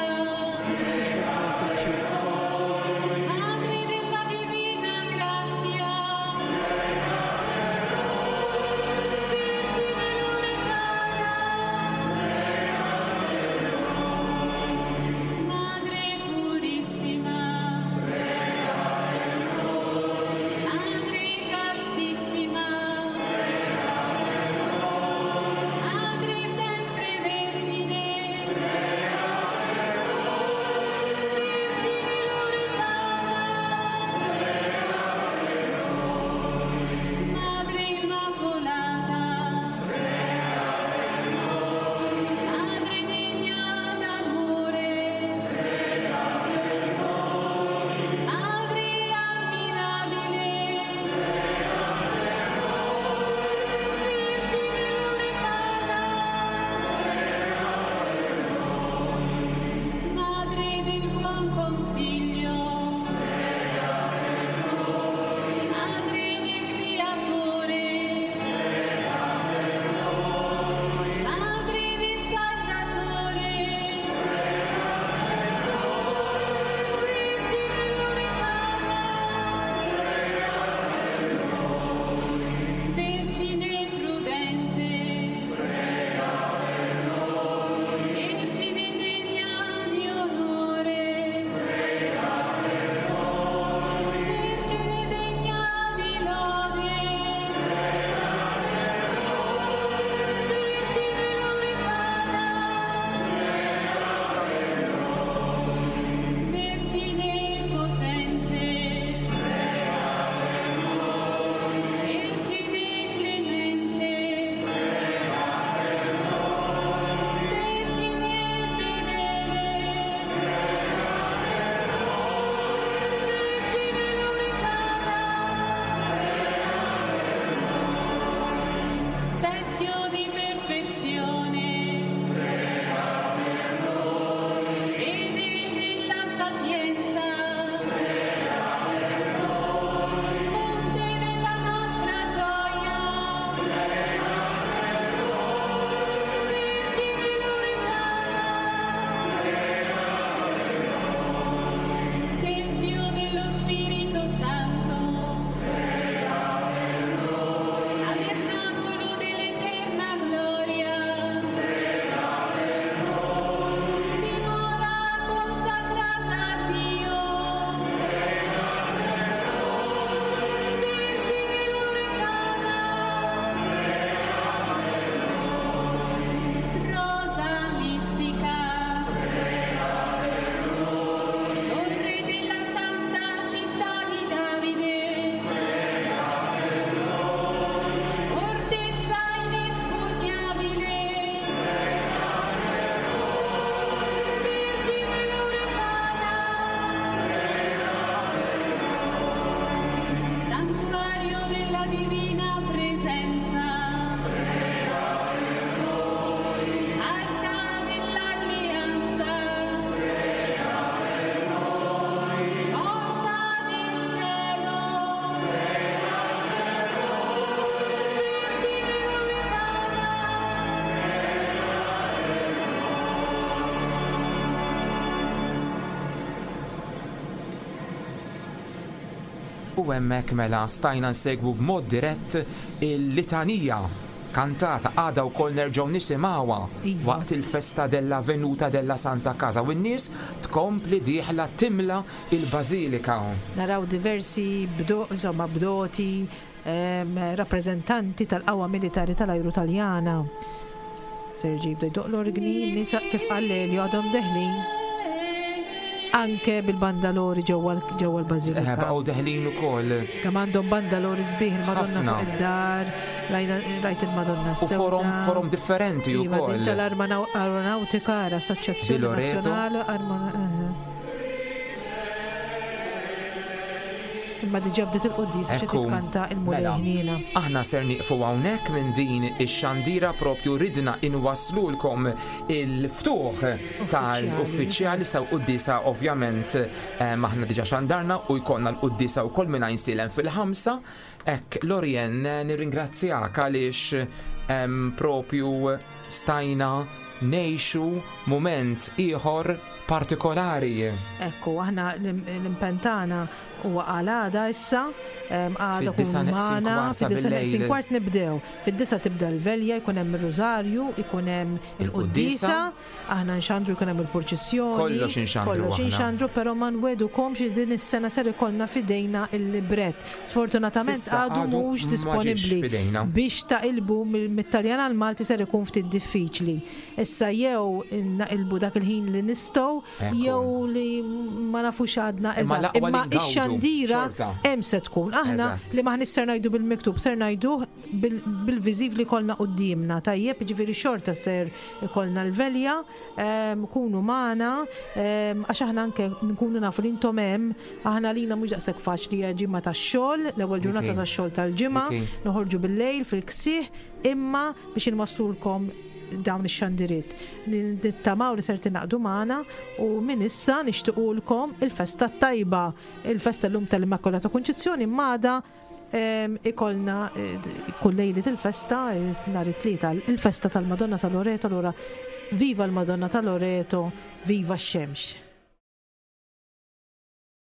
U hemmhekk mela stajna nsegwu b'mod dirett il-litanija kantata għada wkoll nerġgħu nisimgħuha Iva. waqt il-festa della Venuta della Santa Casa u n-nies tkompli dieħla timla il-bażilika. Naraw diversi bdo, insomma, bdoti, rappreżentanti tal-qawwa militari tal-ajru Taljana. Ser jibda jdoqq l-orgni, n-nies kif qal Lelio għadhom deħlin anke bil-bandalori ġewwa ġewwa l-bażilika. Eh, baqgħu deħlin ukoll. Kemm għandhom bandalori sbieħ il-Madonna Ħafna. fuq id-dar, rajna- rajt il-Madonna U forom, sewda. forom differenti Iva, din ukoll. tal-Aeronautica, Di l-Assoċjazzjoni Loreto. Nazzjonali Arma- eh. Imma diġà bdiet il-quddies biex Ekku, titkanta il-Mulej mela, ħniena. Aħna ser nieqfu hawnhekk minn din ix-xandira propju ridna inwaslulkom il-ftuħ tal-uffiċjali sew quddiesa ovvjament eh, aħna diġà xandarna u jkollna l-quddiesa wkoll minn Għajnsielem fil-ħamsa. Hekk Lorien eh, nirringrazzjak għaliex em, propju stajna ngħixu mument ieħor partikolari. Ekku, aħna l-impenn tagħna huwa għal għada issa, em, għada Fid-disa kunu neqsin magħna, kwarta fid-disa neqsin bil-lejl. kwart nibdew. Fid-disa tibda l-velja, jkun hemm ir-rużarju, ikun hemm Il-quddiesa. il-quddiesa, aħna nxandru jkun hemm il-purċissjoni. Kollox inxandru Kollox aħna. inxandru, però ma nwedukomx li din is-sena ser ikollna fidejna il-libret. Sfortunatament Sissa għadu għadu mhux ma ġiex disponibbli fidejna. biex taqilbu mit-Taljan għal Malti ser ikun ftit diffiċli. Issa jew naqilbu dak il-ħin li nistgħu Ekku. jew li ma nafux għadna Imma eżatt. l-aqwa li Imma ngawdu, ix-xandira xorta. hemm se tkun. Aħna Eżatt. li maħniex ser ngħidu bil-miktub, ser ngħiduh bil- bil-viżiv li kollna quddiemna. Tajjeb, jiġifieri xorta ser ikollna l-velja, em, kunu magħna, em, għax aħna anke nkunu nafu li intom hemm, aħna lina mhux daqshekk faċli hija ġimgħa tax-xogħol, l-ewwel ġurnata Dik hi. tax-xogħol tal-ġimgħa, Dik hi. noħorġu bil-lejl fil-ksieħ, imma biex inwaslulkom dawn ix-xandiriet. Nittamaw li ser tingħaqdu magħna u minn issa nixtiequlkom il-festa tajba, il-festa llum tal-Immakulata Kunċizzjoni m'għada em, ikolna eh, kull lejliet il-festa eh, nhar it-tlieta il-festa tal-Madonna tal-Loreto allura viva l-Madonna tal-Loreto, viva x-xemx.